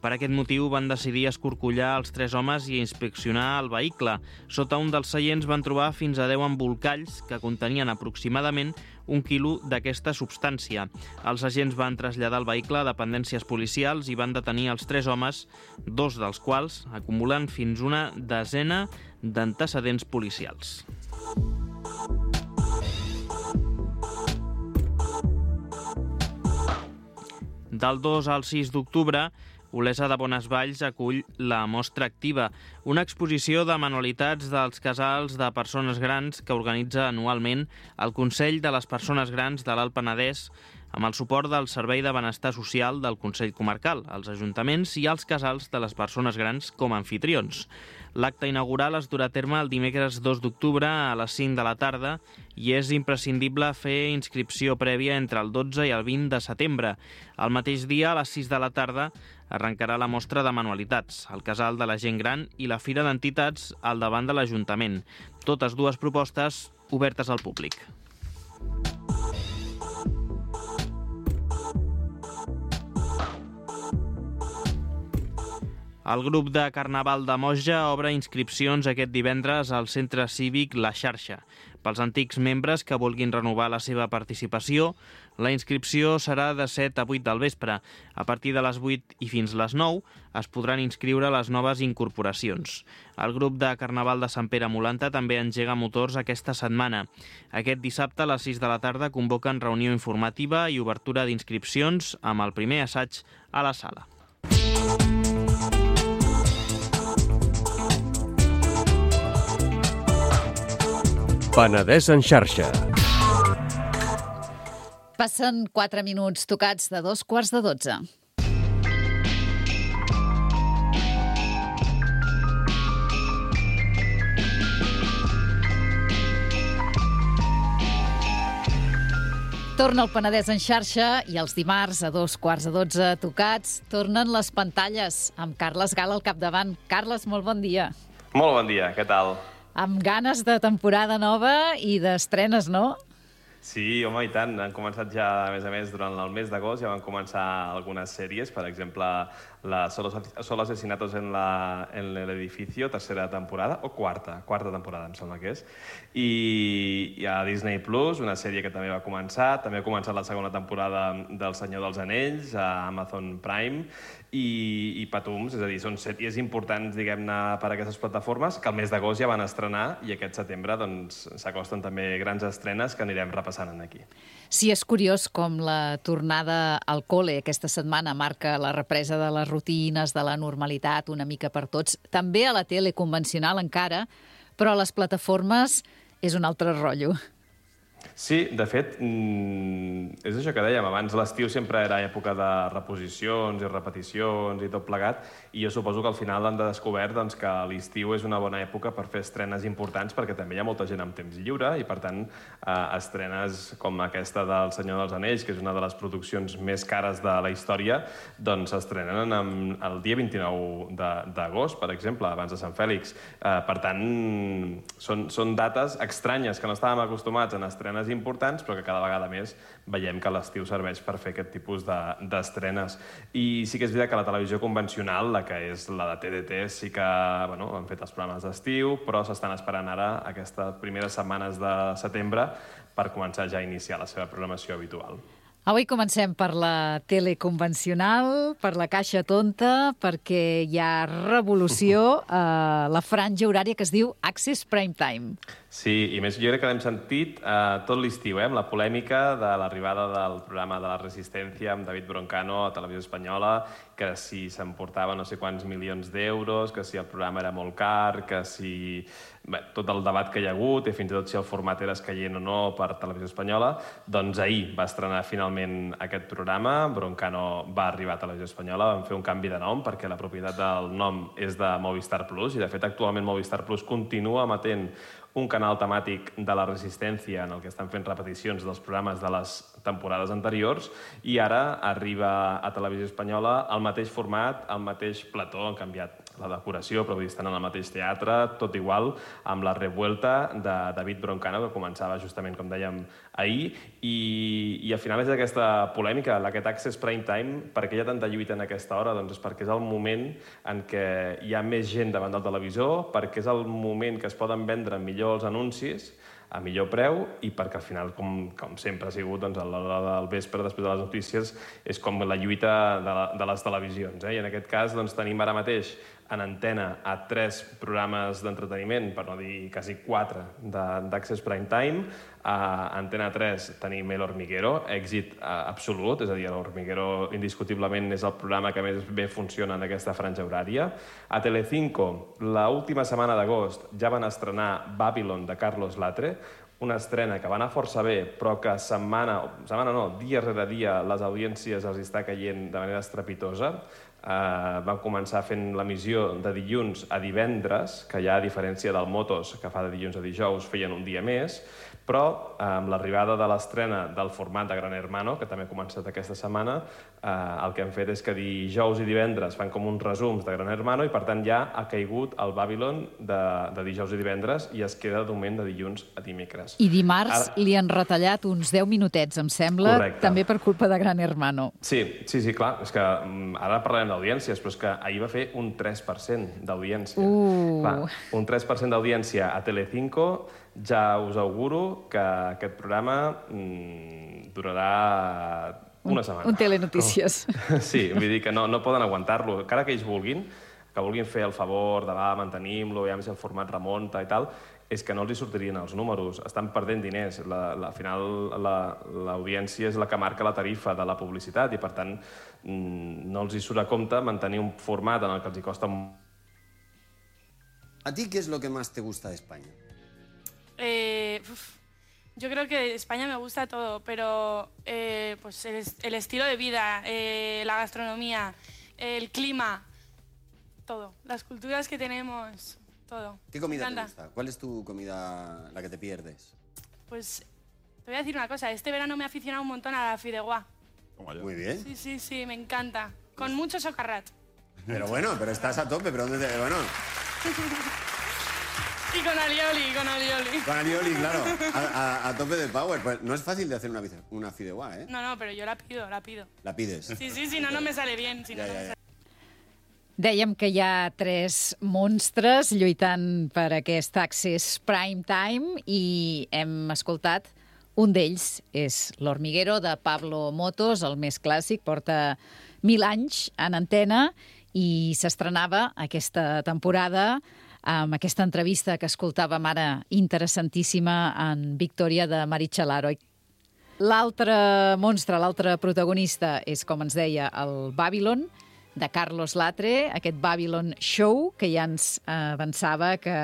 Per aquest motiu van decidir escorcollar els tres homes i inspeccionar el vehicle. Sota un dels seients van trobar fins a deu embolcalls que contenien aproximadament un quilo d'aquesta substància. Els agents van traslladar el vehicle a dependències policials i van detenir els tres homes, dos dels quals acumulen fins una desena d'antecedents policials. Del dos al sis d'octubre, Olesa de Bonesvalls acull la Mostra Activa, una exposició de manualitats dels casals de persones grans que organitza anualment el Consell de les Persones Grans de l'Alt Penedès amb el suport del Servei de Benestar Social del Consell Comarcal, els ajuntaments i els casals de les persones grans com a anfitrions. L'acte inaugural es durà a terme el dimecres dos d'octubre a les cinc de la tarda i és imprescindible fer inscripció prèvia entre el dotze i el vint de setembre. El mateix dia, a les sis de la tarda, arrencarà la mostra de manualitats, el Casal de la Gent Gran i la Fira d'Entitats al davant de l'Ajuntament. Totes dues propostes obertes al públic. El grup de Carnaval de Moja obre inscripcions aquest divendres al Centre Cívic La Xarxa. Pels antics membres que vulguin renovar la seva participació, la inscripció serà de set a vuit del vespre. A partir de les vuit i fins les nou es podran inscriure les noves incorporacions. El grup de Carnaval de Sant Pere Molanta també engega motors aquesta setmana. Aquest dissabte a les sis de la tarda convoquen reunió informativa i obertura d'inscripcions amb el primer assaig a la sala. Penedès en xarxa. Passen quatre minuts tocats de dos quarts de dotze. Torna el Penedès en xarxa i els dimarts a dos quarts de dotze tocats tornen les pantalles amb Carles Gala al capdavant. Carles, molt bon dia. Molt bon dia, què tal? Amb ganes de temporada nova i d'estrenes, no? Sí, home, i tant. Han començat ja, a més a més, durant el mes d'agost ja van començar algunes sèries, per exemple, la Solo asesinatos en l'edificio, tercera temporada, o quarta, quarta temporada, em sembla que és. I a Disney Plus, una sèrie que també va començar, també ha començat la segona temporada del Senyor dels Anells, a Amazon Prime, i, i Patums, és a dir, són sèries importants, diguem-ne, per a aquestes plataformes, que el mes d'agost ja van estrenar i aquest setembre doncs, s'acosten també grans estrenes que anirem repassant aquí. Sí, és curiós com la tornada al col·le aquesta setmana marca la represa de les rutines, de la normalitat, una mica per tots. També a la tele convencional encara, però a les plataformes és un altre rotllo. Sí, de fet, és això que dèiem, abans l'estiu sempre era època de reposicions i repeticions i tot plegat, i jo suposo que al final han descobert doncs, que l'estiu és una bona època per fer estrenes importants, perquè també hi ha molta gent amb temps lliure, i per tant, eh, estrenes com aquesta del Senyor dels Anells, que és una de les produccions més cares de la història, doncs s'estrenen el dia vint-i-nou d'agost, per exemple, abans de Sant Fèlix. Eh, per tant, són, són dates estranyes que no estàvem acostumats en estrenes importants, però que cada vegada més veiem que l'estiu serveix per fer aquest tipus d'estrenes. I sí que és veritat que la televisió convencional, la que és la de T D T, sí que bueno, han fet els programes d'estiu, però s'estan esperant ara aquestes primeres setmanes de setembre per començar ja a iniciar la seva programació habitual. Avui comencem per la tele convencional, per la caixa tonta, perquè hi ha revolució a la franja horària que es diu Access Prime Time. Sí, i més jo crec que l'hem sentit eh, tot l'estiu, eh, amb la polèmica de l'arribada del programa de la Resistència amb David Broncano a Televisió Espanyola, que si s'emportava no sé quants milions d'euros, que si el programa era molt car, que si... Bé, tot el debat que hi ha hagut, i fins i tot si el format era escaient o no per Televisió Espanyola, doncs ahir va estrenar finalment aquest programa, Broncano va arribar a Televisió Espanyola, van fer un canvi de nom perquè la propietat del nom és de Movistar Plus, i de fet actualment Movistar Plus continua emetent un canal temàtic de la Resistència en el que estan fent repeticions dels programes de les temporades anteriors, i ara arriba a Televisió Espanyola el mateix format, el mateix plató, han canviat la decoració, però estan en el mateix teatre, tot igual, amb la revuelta de David Broncano, que començava justament, com dèiem, ahir, i, i al final és aquesta polèmica, aquest Access Prime Time, per què hi ha tanta lluita en aquesta hora? Doncs és perquè és el moment en què hi ha més gent davant del televisor, perquè és el moment que es poden vendre millor els anuncis, a millor preu, i perquè al final, com, com sempre ha sigut, doncs, a l'hora del vespre, després de les notícies, és com la lluita de, la, de les televisions. Eh? I en aquest cas doncs, tenim ara mateix en antena a tres programes d'entreteniment, per no dir quasi quatre, d'Access Prime Time. A Antena tres tenim El Hormiguero, èxit absolut, és a dir, El Hormiguero indiscutiblement és el programa que més bé funciona en aquesta franja horària. A Telecinco, l'última setmana d'agost, ja van estrenar Babylon de Carlos Latre, una estrena que va anar força bé, però que setmana, setmana no, dia rere dia, les audiències els està caient de manera estrepitosa. Uh, van començar fent l'emissió de dilluns a divendres, que ja a diferència del Motos, que fa de dilluns a dijous, feien un dia més, però amb l'arribada de l'estrena del format de Gran Hermano, que també ha començat aquesta setmana, eh, el que han fet és que dijous i divendres fan com uns resums de Gran Hermano, i per tant ja ha caigut el Babylon de, de dijous i divendres i es queda de moment de dilluns a dimecres. I dimarts Ara... li han retallat uns deu minutets, em sembla, Correcte. També per culpa de Gran Hermano. Sí, sí, sí, clar, és que ara parlarem d'audiències, però és que ahir va fer un tres per cent d'audiència. Uh. Clar, un tres per cent d'audiència a Telecinco. Ja us auguro que aquest programa mmm, durarà una setmana. Un, un telenotícies. Oh. Sí, vull dir que no, no poden aguantar-lo. Encara que ells vulguin, que vulguin fer el favor de va, mantenim-lo, ja si el format remunta i tal, és que no els hi sortirien els números. Estan perdent diners. La, la, al final, l'audiència la, és la que marca la tarifa de la publicitat i, per tant, mmm, no els hi surt a compte mantenir un format en el que els hi costa... ¿A ti qué es lo que más te gusta de España? Eh, uf, yo creo que de España me gusta todo, pero eh, pues el, el estilo de vida, eh, la gastronomía, el clima, todo. Las culturas que tenemos, todo. ¿Qué comida te gusta? ¿Cuál es tu comida la que te pierdes? Pues te voy a decir una cosa, este verano me he aficionado un montón a la fideuá. Muy bien. Sí, sí, sí, me encanta. Con mucho socarrat. Pero bueno, pero estás a tope, pero ¿dónde te...? Bueno... Y con alioli, con alioli. Con alioli, claro. A, a, a tope de power. Pues no es fácil de hacer una, una fideuá, ¿eh? No, no, pero yo la pido, la pido. La pides. Sí, sí, si no, no me sale bien. Si ja, no, ja, no me ja. sale... Dèiem que hi ha tres monstres lluitant per aquest Access Prime Time i hem escoltat un d'ells, és L'Hormiguero, de Pablo Motos, el més clàssic, porta mil anys en antena i s'estrenava aquesta temporada amb aquesta entrevista que escoltàvem ara, interessantíssima, en Victòria de Meritxell Aro. L'altre monstre, l'altre protagonista és, com ens deia, el Babylon, de Carlos Latre, aquest Babylon Show, que ja ens avançava que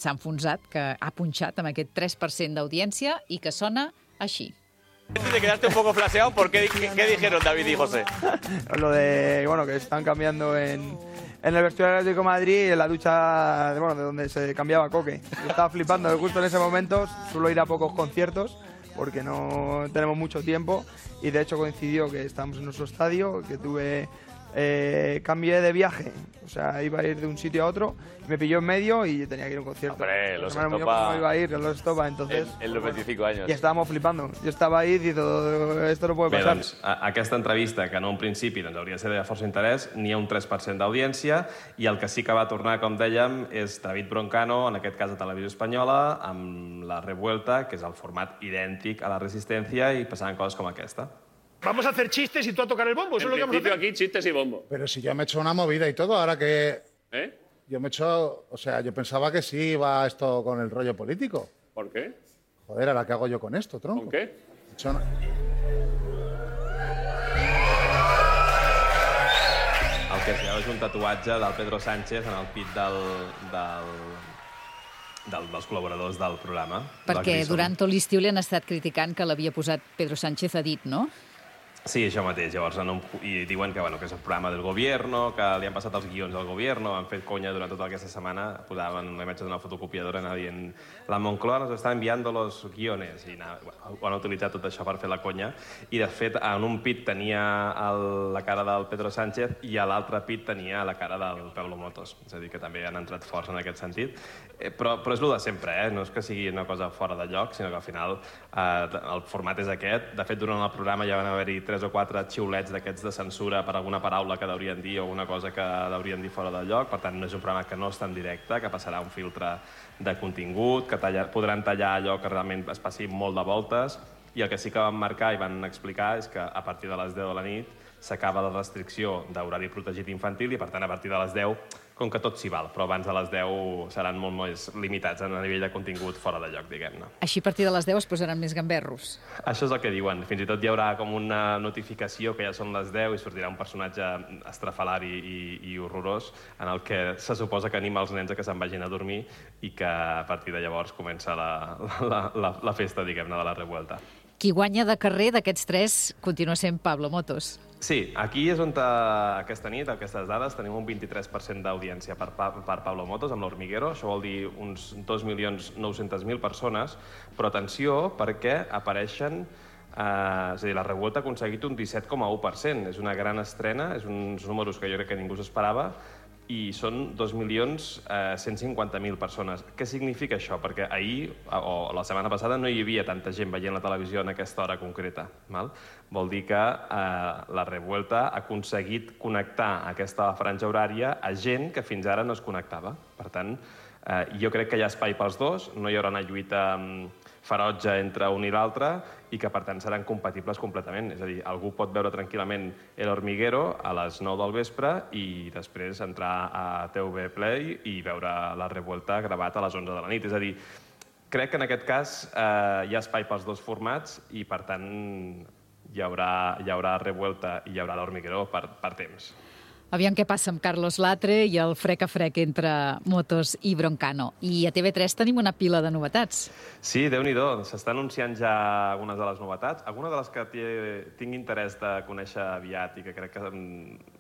s'ha enfonsat, que ha punxat amb aquest tres per cent d'audiència i que sona així. Te quedaste un poco flaseado, ¿por qué, qué dijeron David y José? Lo de, bueno, que están cambiando en, en el vestuario del Atlético de Madrid, en la ducha, bueno, de donde se cambiaba Coque. Yo estaba flipando, que justo en ese momento suelo ir a pocos conciertos, porque no tenemos mucho tiempo, y de hecho coincidió que estábamos en nuestro estadio, que tuve... Eh, cambié de viaje, o sea, iba a ir de un sitio a otro, me pilló en medio y tenía que ir a un concierto. Hombre, los Estopa... Estopa... No iba a ir, los Estopa, entonces... En, en los veinticinco años. Y estábamos flipando. Yo estaba ahí y todo esto no puede Bé, pasar. doncs, a, aquesta entrevista, que en un principi doncs, hauria de ser de força interès, n'hi ha un tres per cent d'audiència, i el que sí que va tornar, com dèiem, és David Broncano, en aquest cas de Televisió Espanyola, amb La Revuelta, que és el format idèntic a La Resistencia, i passaven coses com aquesta. Vamos a hacer chistes y tú a tocar el bombo. ¿Eso En es lo que vamos a principio hacer? aquí chistes y bombo. Pero si yo me he hecho una movida y todo, ahora que... ¿Eh? Yo me he hecho... O sea, yo pensaba que sí iba esto con el rollo político. ¿Por qué? Joder, ¿ahora qué hago yo con esto, tronco? ¿Con qué? He hecho una- El que es veu és un tatuatge del Pedro Sánchez en el pit del, del, del, dels col·laboradors del programa. Perquè del Grison. durant tot l'estiu li han estat criticant que l'havia posat Pedro Sánchez a dit, no? Sí, això mateix. Llavors, en un, i diuen que, bueno, que és el programa del gobierno, que li han passat els guions del gobierno, han fet conya durant tota aquesta setmana, posaven una imatge d'una fotocopiadora, anava dient la Moncloa nos està enviando los guiones, i anava, bueno, ho han utilitzat tot això per fer la conya, i de fet en un pit tenia el, la cara del Pedro Sánchez i a l'altre pit tenia la cara del Pablo Motos, és a dir, que també han entrat forts en aquest sentit, eh, però, però és el de sempre, eh? No és que sigui una cosa fora de lloc, sinó que al final eh, el format és aquest. De fet, durant el programa ja van haver-hi tres o quatre xiulets d'aquests de censura per alguna paraula que deurien dir o alguna cosa que deurien dir fora de lloc. Per tant, no és un programa que no està en directe, que passarà un filtre de contingut, que tallar, podran tallar allò que realment es passi molt de voltes, i el que sí que van marcar i van explicar és que a partir de les deu de la nit s'acaba la restricció d'horari protegit infantil i, per tant, a partir de les deu, com que tot s'hi val, però abans de les deu seran molt més limitats a nivell de contingut fora de lloc, diguem-ne. Així a partir de les deu es posaran més gamberros. Això és el que diuen. Fins i tot hi haurà com una notificació que ja són les deu i sortirà un personatge estrafalari i, i horrorós en el que se suposa que anima els nens a que se'n vagin a dormir i que a partir de llavors comença la, la, la, la festa, diguem-ne, de la Revuelta. Qui guanya de carrer d'aquests tres continua sent Pablo Motos. Sí, aquí és on aquesta nit, aquestes dades, tenim un vint-i-tres per cent d'audiència per, per Pablo Motos amb l'Hormiguero. Això vol dir uns dos milions nou-cents mil persones, però atenció perquè apareixen... Eh, és a dir, la Revuelta ha aconseguit un disset coma u per cent. És una gran estrena, és uns números que jo crec que ningú s'esperava, i són dos milions cent cinquanta mil persones. Què significa això? Perquè ahir, o la setmana passada, no hi havia tanta gent veient la televisió en aquesta hora concreta. Val? Vol dir que eh, la Revuelta ha aconseguit connectar aquesta franja horària a gent que fins ara no es connectava. Per tant, eh, jo crec que hi ha espai pels dos, no hi haurà una lluita ferotge entre un i l'altre i que, per tant, seran compatibles completament. És a dir, algú pot veure tranquil·lament El Hormiguero a les nou del vespre i després entrar a T V Play i veure la Revuelta gravat a les onze de la nit. És a dir, crec que en aquest cas eh, hi ha espai pels dos formats i, per tant, hi haurà, hi haurà Revuelta i hi haurà l'Hormiguero per, per temps. Aviam què passa amb Carlos Latre i el frec a frec entre Motos i Broncano. I a T V tres tenim una pila de novetats. Sí, Déu-n'hi-do. S'està anunciant ja algunes de les novetats. Alguna de les que tinc interès de conèixer aviat i que crec que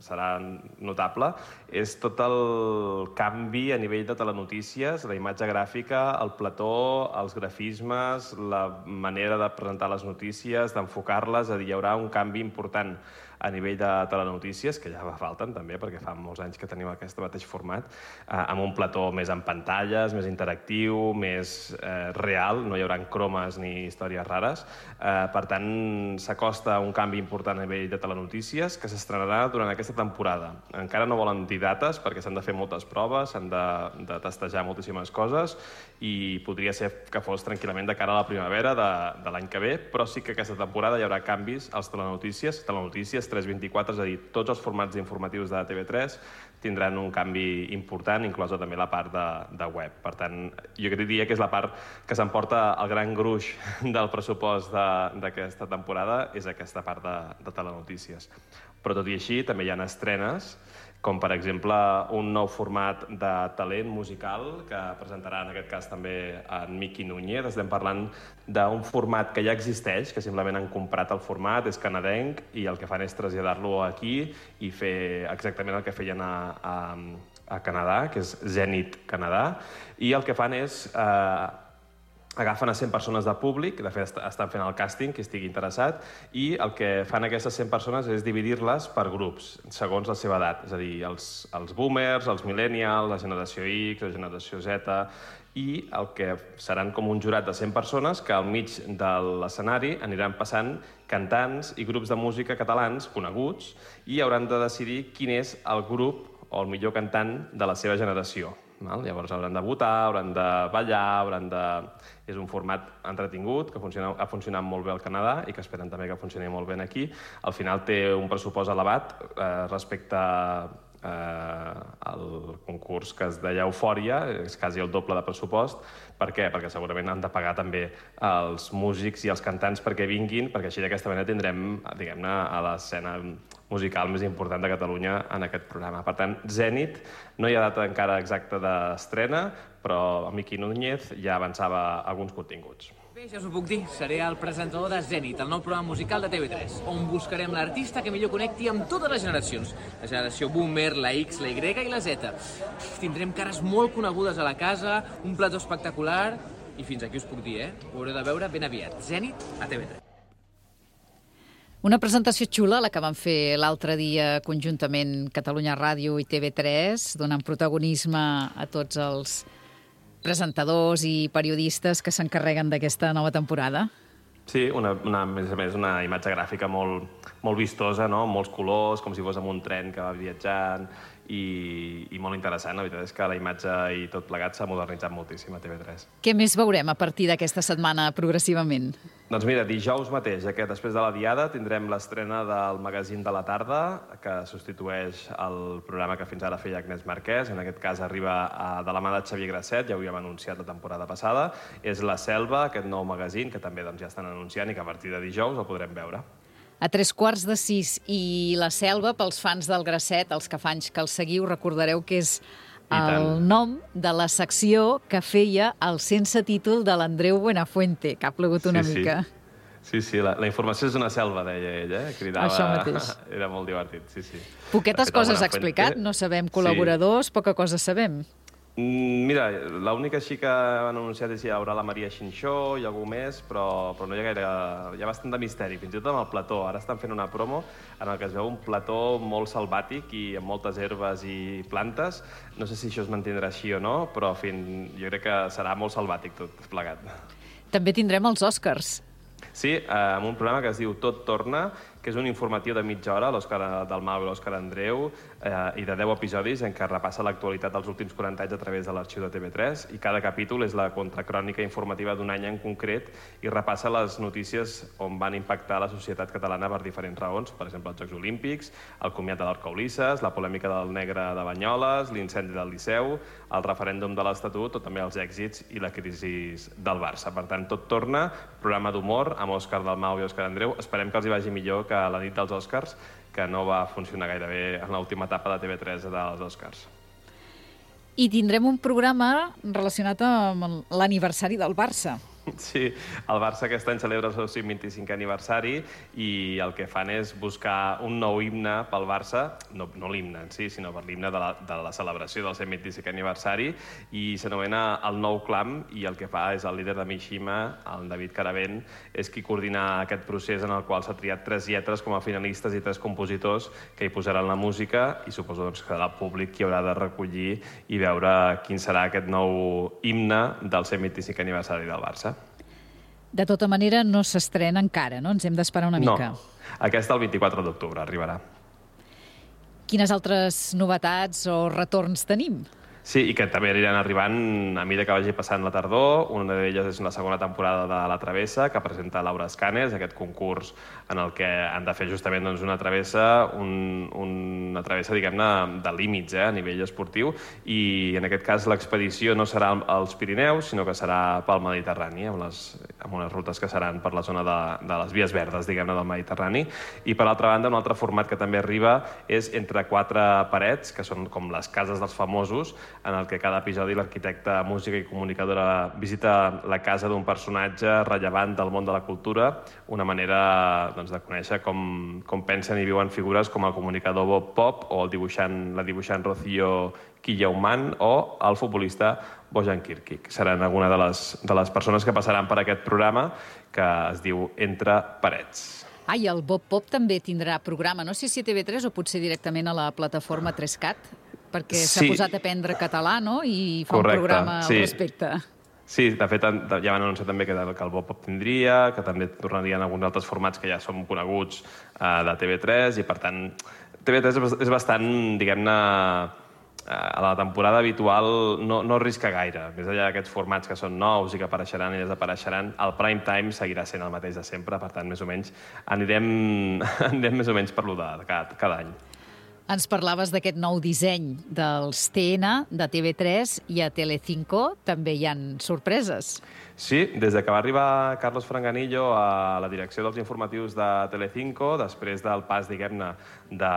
serà notable és tot el canvi a nivell de telenotícies, la imatge gràfica, el plató, els grafismes, la manera de presentar les notícies, d'enfocar-les. És a dir, hi haurà un canvi important a nivell de telenotícies, que ja fa falten també, perquè fa molts anys que tenim aquest mateix format, eh, amb un plató més en pantalles, més interactiu, més eh, real, no hi haurà cromes ni històries rares. Eh, per tant, s'acosta un canvi important a nivell de telenotícies que s'estrenarà durant aquesta temporada. Encara no volen dir dates perquè s'han de fer moltes proves, s'han de, de testejar moltíssimes coses i podria ser que fos tranquil·lament de cara a la primavera de, de l'any que ve, però sí que aquesta temporada hi haurà canvis als telenotícies, telenotícies tres vint-i-quatre, és a dir, tots els formats informatius de T V tres tindran un canvi important, inclosa també la part de, de web. Per tant, jo diria que és la part que s'emporta el gran gruix del pressupost d'aquesta temporada, és aquesta part de, de telenotícies. Però tot i així, també hi ha estrenes com per exemple un nou format de talent musical que presentarà en aquest cas també en Miqui Núñez. Estem parlant d'un format que ja existeix, que simplement han comprat el format, és canadenc, i el que fan és traslladar-lo aquí i fer exactament el que feien a, a, a Canadà, que és Zenit Canadà, i el que fan és eh, agafen a cent persones de públic, de fet estan fent el càsting, qui estigui interessat, i el que fan aquestes cent persones és dividir-les per grups, segons la seva edat, és a dir, els, els boomers, els millennials, la generació X, la generació Z, i el que seran com un jurat de cent persones que al mig de l'escenari aniran passant cantants i grups de música catalans coneguts i hauran de decidir quin és el grup o el millor cantant de la seva generació. Val? Llavors hauran de votar, hauran de ballar, hauran de... És un format entretingut, que funciona, ha funcionat molt bé al Canadà i que esperen també que funcioni molt bé aquí. Al final té un pressupost elevat eh, respecte eh, al concurs que es deia Eufòria, és quasi el doble de pressupost. Per què? Perquè segurament han de pagar també els músics i els cantants perquè vinguin, perquè així d'aquesta manera tindrem, diguem-ne, a l'escena musical més important de Catalunya en aquest programa. Per tant, Zenit, no hi ha data encara exacta d'estrena, però Miqui Núñez ja avançava alguns continguts. Bé, ja us ho puc dir, seré el presentador de Zenit, el nou programa musical de T V tres, on buscarem l'artista que millor connecti amb totes les generacions. La generació boomer, la X, la Y i la Z. Tindrem cares molt conegudes a la casa, un plató espectacular, i fins aquí us puc dir, eh? Ho haureu de veure ben aviat. Zenit a T V tres. Una presentació xula, la que van fer l'altre dia conjuntament Catalunya Ràdio i T V tres, donant protagonisme a tots els presentadors i periodistes que s'encarreguen d'aquesta nova temporada. Sí, una, una, a més a més, una imatge gràfica molt, molt vistosa, no? Amb molts colors, com si fos amb un tren que va viatjant, i, i molt interessant. La veritat és que la imatge i tot plegat s'ha modernitzat moltíssim a T V tres. Què més veurem a partir d'aquesta setmana progressivament? Doncs mira, dijous mateix, ja que després de la Diada, tindrem l'estrena del magazín de la tarda, que substitueix el programa que fins ara feia Agnès Marquès. En aquest cas arriba a, de la mà de Xavier Grasset, ja ho havíem anunciat la temporada passada. És La Selva, aquest nou magazín, que també doncs, ja estan anunciant i que a partir de dijous el podrem veure. A tres quarts de sis, i La Selva, pels fans del Grasset, els que fa anys que el seguiu, recordareu que és el nom de la secció que feia el sense títol de l'Andreu Buenafuente, que ha plegut una sí, mica. Sí, sí, la, la informació és una selva, deia ell, eh? Cridava... Això mateix. Era molt divertit, sí, sí. Poquetes coses ha explicat, no sabem col·laboradors, sí. Poca cosa sabem. Mira, l'única així que han anunciat és que hi haurà la Maria Xinxó i algú més, però, però no hi ha gaire... Hi ha bastant de misteri, fins i tot amb el plató. Ara estan fent una promo en el que es veu un plató molt salvàtic i amb moltes herbes i plantes. No sé si això es mantindrà així o no, però fin, jo crec que serà molt salvàtic tot plegat. També tindrem els Oscars. Sí, amb un programa que es diu Tot Torna, que és un informatiu de mitja hora, l'Òscar Dalmau i l'Òscar Andreu, eh, i de deu episodis en què repassa l'actualitat dels últims quaranta anys a través de l'arxiu de T V tres, i cada capítol és la contracrònica informativa d'un any en concret i repassa les notícies on van impactar la societat catalana per diferents raons, per exemple, els Jocs Olímpics, el comiat de l'Orca Ulisses, la polèmica del negre de Banyoles, l'incendi del Liceu, el referèndum de l'Estatut o també els èxits i la crisi del Barça. Per tant, Tot Torna, programa d'humor amb Òscar Dalmau i Òscar Andreu. Esperem que els hi vagi millor que la nit dels Oscars, que no va funcionar gaire bé en l'última etapa de T V tres dels Oscars. I tindrem un programa relacionat amb l'aniversari del Barça. Sí, el Barça aquest any celebra el seu cent vint-i-cinquè aniversari i el que fan és buscar un nou himne pel Barça, no, no l'himne en si, sinó per l'himne de, la, de la celebració del cent vint-i-cinquè aniversari, i s'anomena El Nou Clam, i el que fa és el líder de Mishima, el David Caravent, és qui coordina aquest procés en el qual s'ha triat tres lletres com a finalistes i tres compositors que hi posaran la música, i suposo doncs, que serà el públic qui haurà de recollir i veure quin serà aquest nou himne del cent vint-i-cinquè aniversari del Barça. De tota manera, no s'estrena encara, no? Ens hem d'esperar una mica. No, aquesta el vint-i-quatre d'octubre arribarà. Quines altres novetats o retorns tenim? Sí, i que també aniran arribant a mesura que vagi passant la tardor. Una d'elles és la segona temporada de La Travessa, que presenta Laura Escanes, aquest concurs en el que han de fer justament doncs, una travessa, un, una travessa, diguem-ne, de límits eh, a nivell esportiu, i en aquest cas l'expedició no serà als Pirineus, sinó que serà pel Mediterrani, amb les amb unes rutes que seran per la zona de, de les vies verdes, diguem-ne, del Mediterrani. I per l'altra banda, un altre format que també arriba és Entre quatre parets, que són com les cases dels famosos, en el que cada episodi l'arquitecte, música i comunicadora visita la casa d'un personatge rellevant del món de la cultura, una manera doncs, de conèixer com, com pensen i viuen figures com el comunicador Bob Pop o el dibuixant, la dibuixant Rocío Quillauman o el futbolista Bojan Kirkic. Seran alguna de les, de les persones que passaran per aquest programa que es diu Entre parets. Ah, i el Bob Pop també tindrà programa, no sé si a T V tres o potser directament a la plataforma tres cat, perquè s'ha Sí. posat a aprendre català, no?, i fa Correcte, un programa al sí. respecte. Sí, de fet, ja van anunciar també que el Bob Pop tindria, que també tornarien alguns altres formats que ja són coneguts eh, de T V tres, i per tant, T V tres és bastant, diguem-ne, a la temporada habitual no, no risca gaire. Més enllà d'aquests formats que són nous i que apareixeran i desapareixeran, el prime time seguirà sent el mateix de sempre, per tant, més o menys, anirem, anirem més o menys per lo de cada, cada any. Ens parlaves d'aquest nou disseny dels T N, de T V tres, i a Telecinco també hi han sorpreses. Sí, des de que va arribar Carlos Franganillo a la direcció dels informatius de Telecinco, després del pas, diguem-ne, de,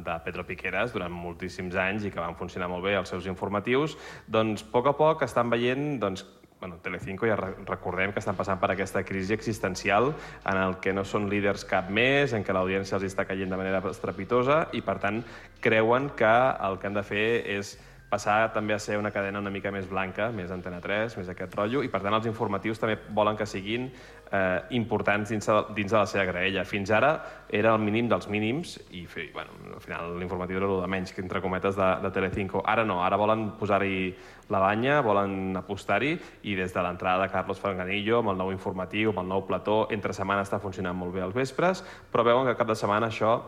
de Pedro Piqueras durant moltíssims anys i que van funcionar molt bé els seus informatius, doncs a poc a poc estan veient doncs, bueno, Telecinco, ja recordem que estan passant per aquesta crisi existencial en el que no són líders cap més, en què l'audiència els està caient de manera estrepitosa i, per tant, creuen que el que han de fer és passar també a ser una cadena una mica més blanca, més Antena tres, més aquest rotllo, i per tant els informatius també volen que siguin eh, importants dins de, dins de la seva graella. Fins ara era el mínim dels mínims i bueno, al final l'informatiu era el de menys, que entre cometes, de, de Telecinco. Ara no, ara volen posar-hi la banya, volen apostar-hi, i des de l'entrada de Carlos Franganillo, amb el nou informatiu, amb el nou plató, entre setmana està funcionant molt bé als vespres, però veuen que cap de setmana això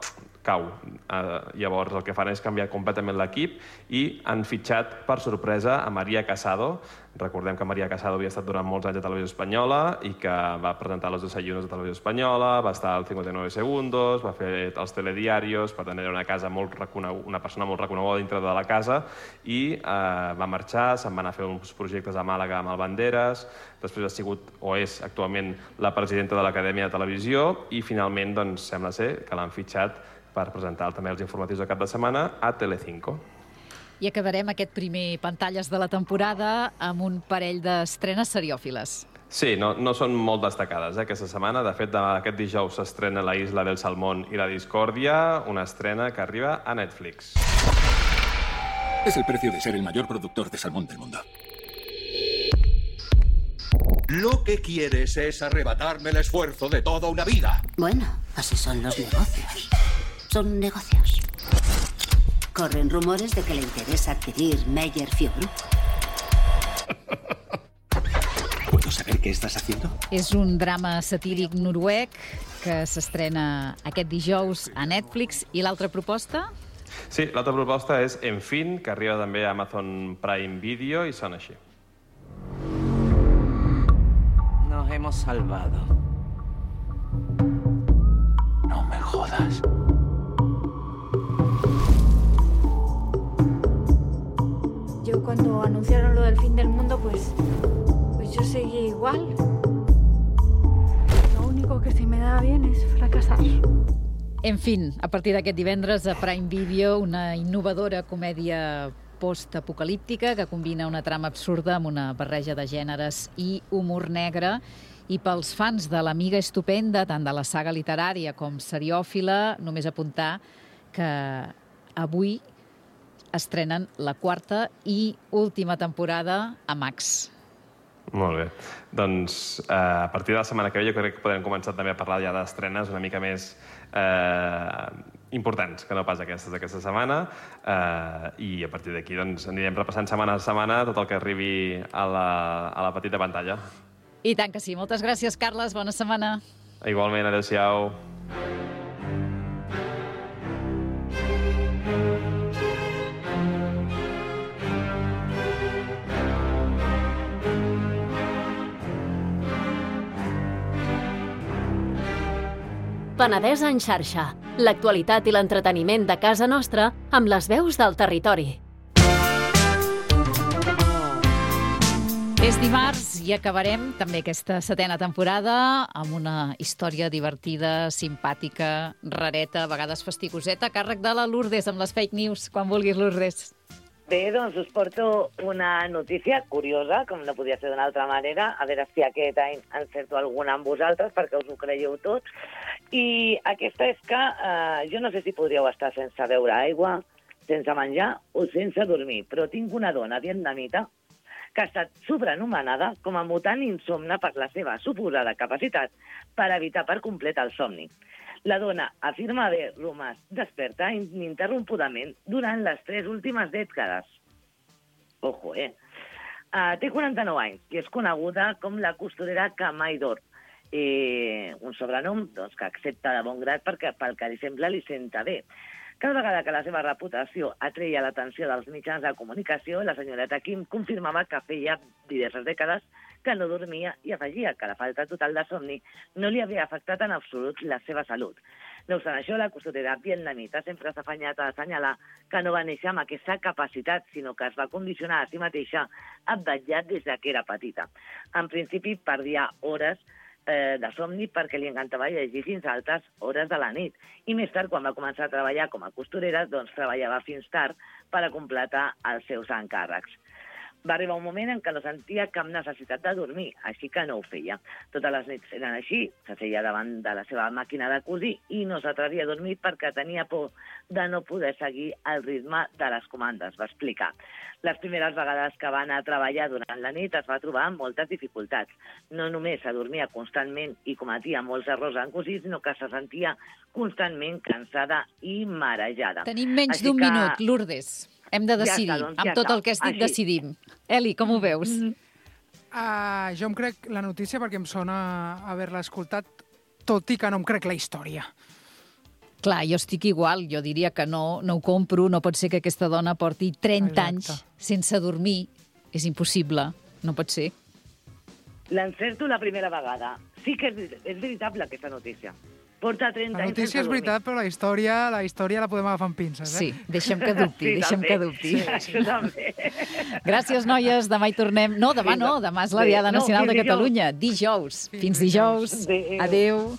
cau. Uh, llavors el que fan és canviar completament l'equip i han fitxat per sorpresa a Maria Casado. Recordem que Maria Casado havia estat durant molts anys a Televisió Espanyola i que va presentar los desayunos de Televisió Espanyola, va estar al cincuenta y nueve segundos, va fer els telediarios, per tant era una, casa molt una persona molt reconeguda dintre de la casa, i uh, va marxar, se'n va anar a fer uns projectes a Màlaga amb el Banderas, després ha sigut o és actualment la presidenta de l'Acadèmia de Televisió i finalment doncs, sembla ser que l'han fitxat per presentar també els informatius de cap de setmana a Telecinco. I acabarem aquest primer Pantalles de la temporada amb un parell d'estrenes seriòfiles. Sí, no, no són molt destacades eh, aquesta setmana. De fet, aquest dijous s'estrena La Isla del Salmón i la Discordia, una estrena que arriba a Netflix. Es el precio de ser el mayor productor de salmón del mundo. Lo que quieres es arrebatarme el esfuerzo de toda una vida. Bueno, así son los negocios. Son negocios. Corren rumores de que le interesa adquirir Meyer Fiobru. ¿Puedo saber qué estás haciendo? És un drama satíric noruec que s'estrena aquest dijous a Netflix. I l'altra proposta? Sí, l'altra proposta és En fin, que arriba també a Amazon Prime Video i sona així. Nos hemos salvado. No me jodas. Yo cuando anunciaron lo del fin del mundo, pues, pues yo seguí igual. Lo único que se me da bien es fracasar. En fin, a partir d'aquest divendres a Prime Video, una innovadora comèdia post-apocalíptica que combina una trama absurda amb una barreja de gèneres i humor negre. I pels fans de l'Amiga Estupenda, tant de la saga literària com seriòfila, només apuntar que avui estrenen la quarta i última temporada a Max. Molt bé. Doncs eh, a partir de la setmana que ve jo crec que podrem començar també a parlar ja d'estrenes una mica més eh, importants que no pas aquestes d'aquesta setmana, eh, i a partir d'aquí doncs, anirem repassant setmana a setmana tot el que arribi a la, a la petita pantalla. I tant que sí. Moltes gràcies, Carles. Bona setmana. Igualment, adéu-siau. Penedès en xarxa. L'actualitat i l'entreteniment de casa nostra amb les veus del territori. És dimarts i acabarem també aquesta setena temporada amb una història divertida, simpàtica, rareta, a vegades fastigoseta, a càrrec de la Lourdes amb les fake news. Quan vulguis, Lourdes. Bé, doncs us porto una notícia curiosa, com no podia ser d'una altra manera, a veure si aquest any encerto alguna amb vosaltres, perquè us ho creieu tots. I aquesta és que eh, jo no sé si podríeu estar sense beure aigua, sense menjar o sense dormir, però tinc una dona vietnamita que ha estat sobrenomenada com a mutant insomne per la seva suposada capacitat per evitar per complet el somni. La dona afirma haver romàs desperta ininterrompudament durant les tres últimes dècades. Ojo, eh? Uh, té quaranta-nou anys i és coneguda com la costurera que mai dorm. Eh, un sobrenom doncs, que accepta de bon grat perquè pel que li sembla li senta bé. Cada vegada que la seva reputació atreia l'atenció dels mitjans de comunicació, la senyoreta Kim confirmava que feia diverses dècades que no dormia i afegia que la falta total de somni no li havia afectat en absolut la seva salut. No obstant això, la costurera vietnamita sempre s'ha afanyat a assenyalar que no va néixer amb aquesta capacitat, sinó que es va condicionar a si mateixa a vetllar des que era petita. En principi, perdia hores eh, de somni perquè li encantava llegir fins a altes hores de la nit. I més tard, quan va començar a treballar com a costurera, doncs treballava fins tard per a completar els seus encàrrecs. Va arribar un moment en què no sentia cap necessitat de dormir, així que no ho feia. Totes les nits eren així, s'asseia davant de la seva màquina de cosir i no s'atrevia a dormir perquè tenia por de no poder seguir el ritme de les comandes, va explicar. Les primeres vegades que va anar a treballar durant la nit es va trobar amb moltes dificultats. No només s'adormia constantment i cometia molts errors en cosir, sinó que se sentia constantment cansada i marejada. Tenim menys d'un que... minut, Lourdes. Hem de decidir. Ja està, doncs, ja amb tot el que has dit, així decidim. Eli, com ho veus? Uh, jo em crec la notícia perquè em sona haver-la escoltat, tot i que no em crec la història. Clar, jo estic igual. Jo diria que no, no ho compro. No pot ser que aquesta dona porti trenta Exacte. anys sense dormir. És impossible. No pot ser. L'encerto la primera vegada. Sí que és, és veritable aquesta notícia. Porta trenta la notícia és veritat, però la història, la història la podem agafar amb pinces, eh? Sí, deixem que dubti, sí, deixem també. que dubti. Sí, també. Gràcies, noies. Demà hi tornem. No, demà no, demà és la Diada Nacional no, de Catalunya. Dijous. Fins dijous. Adéu.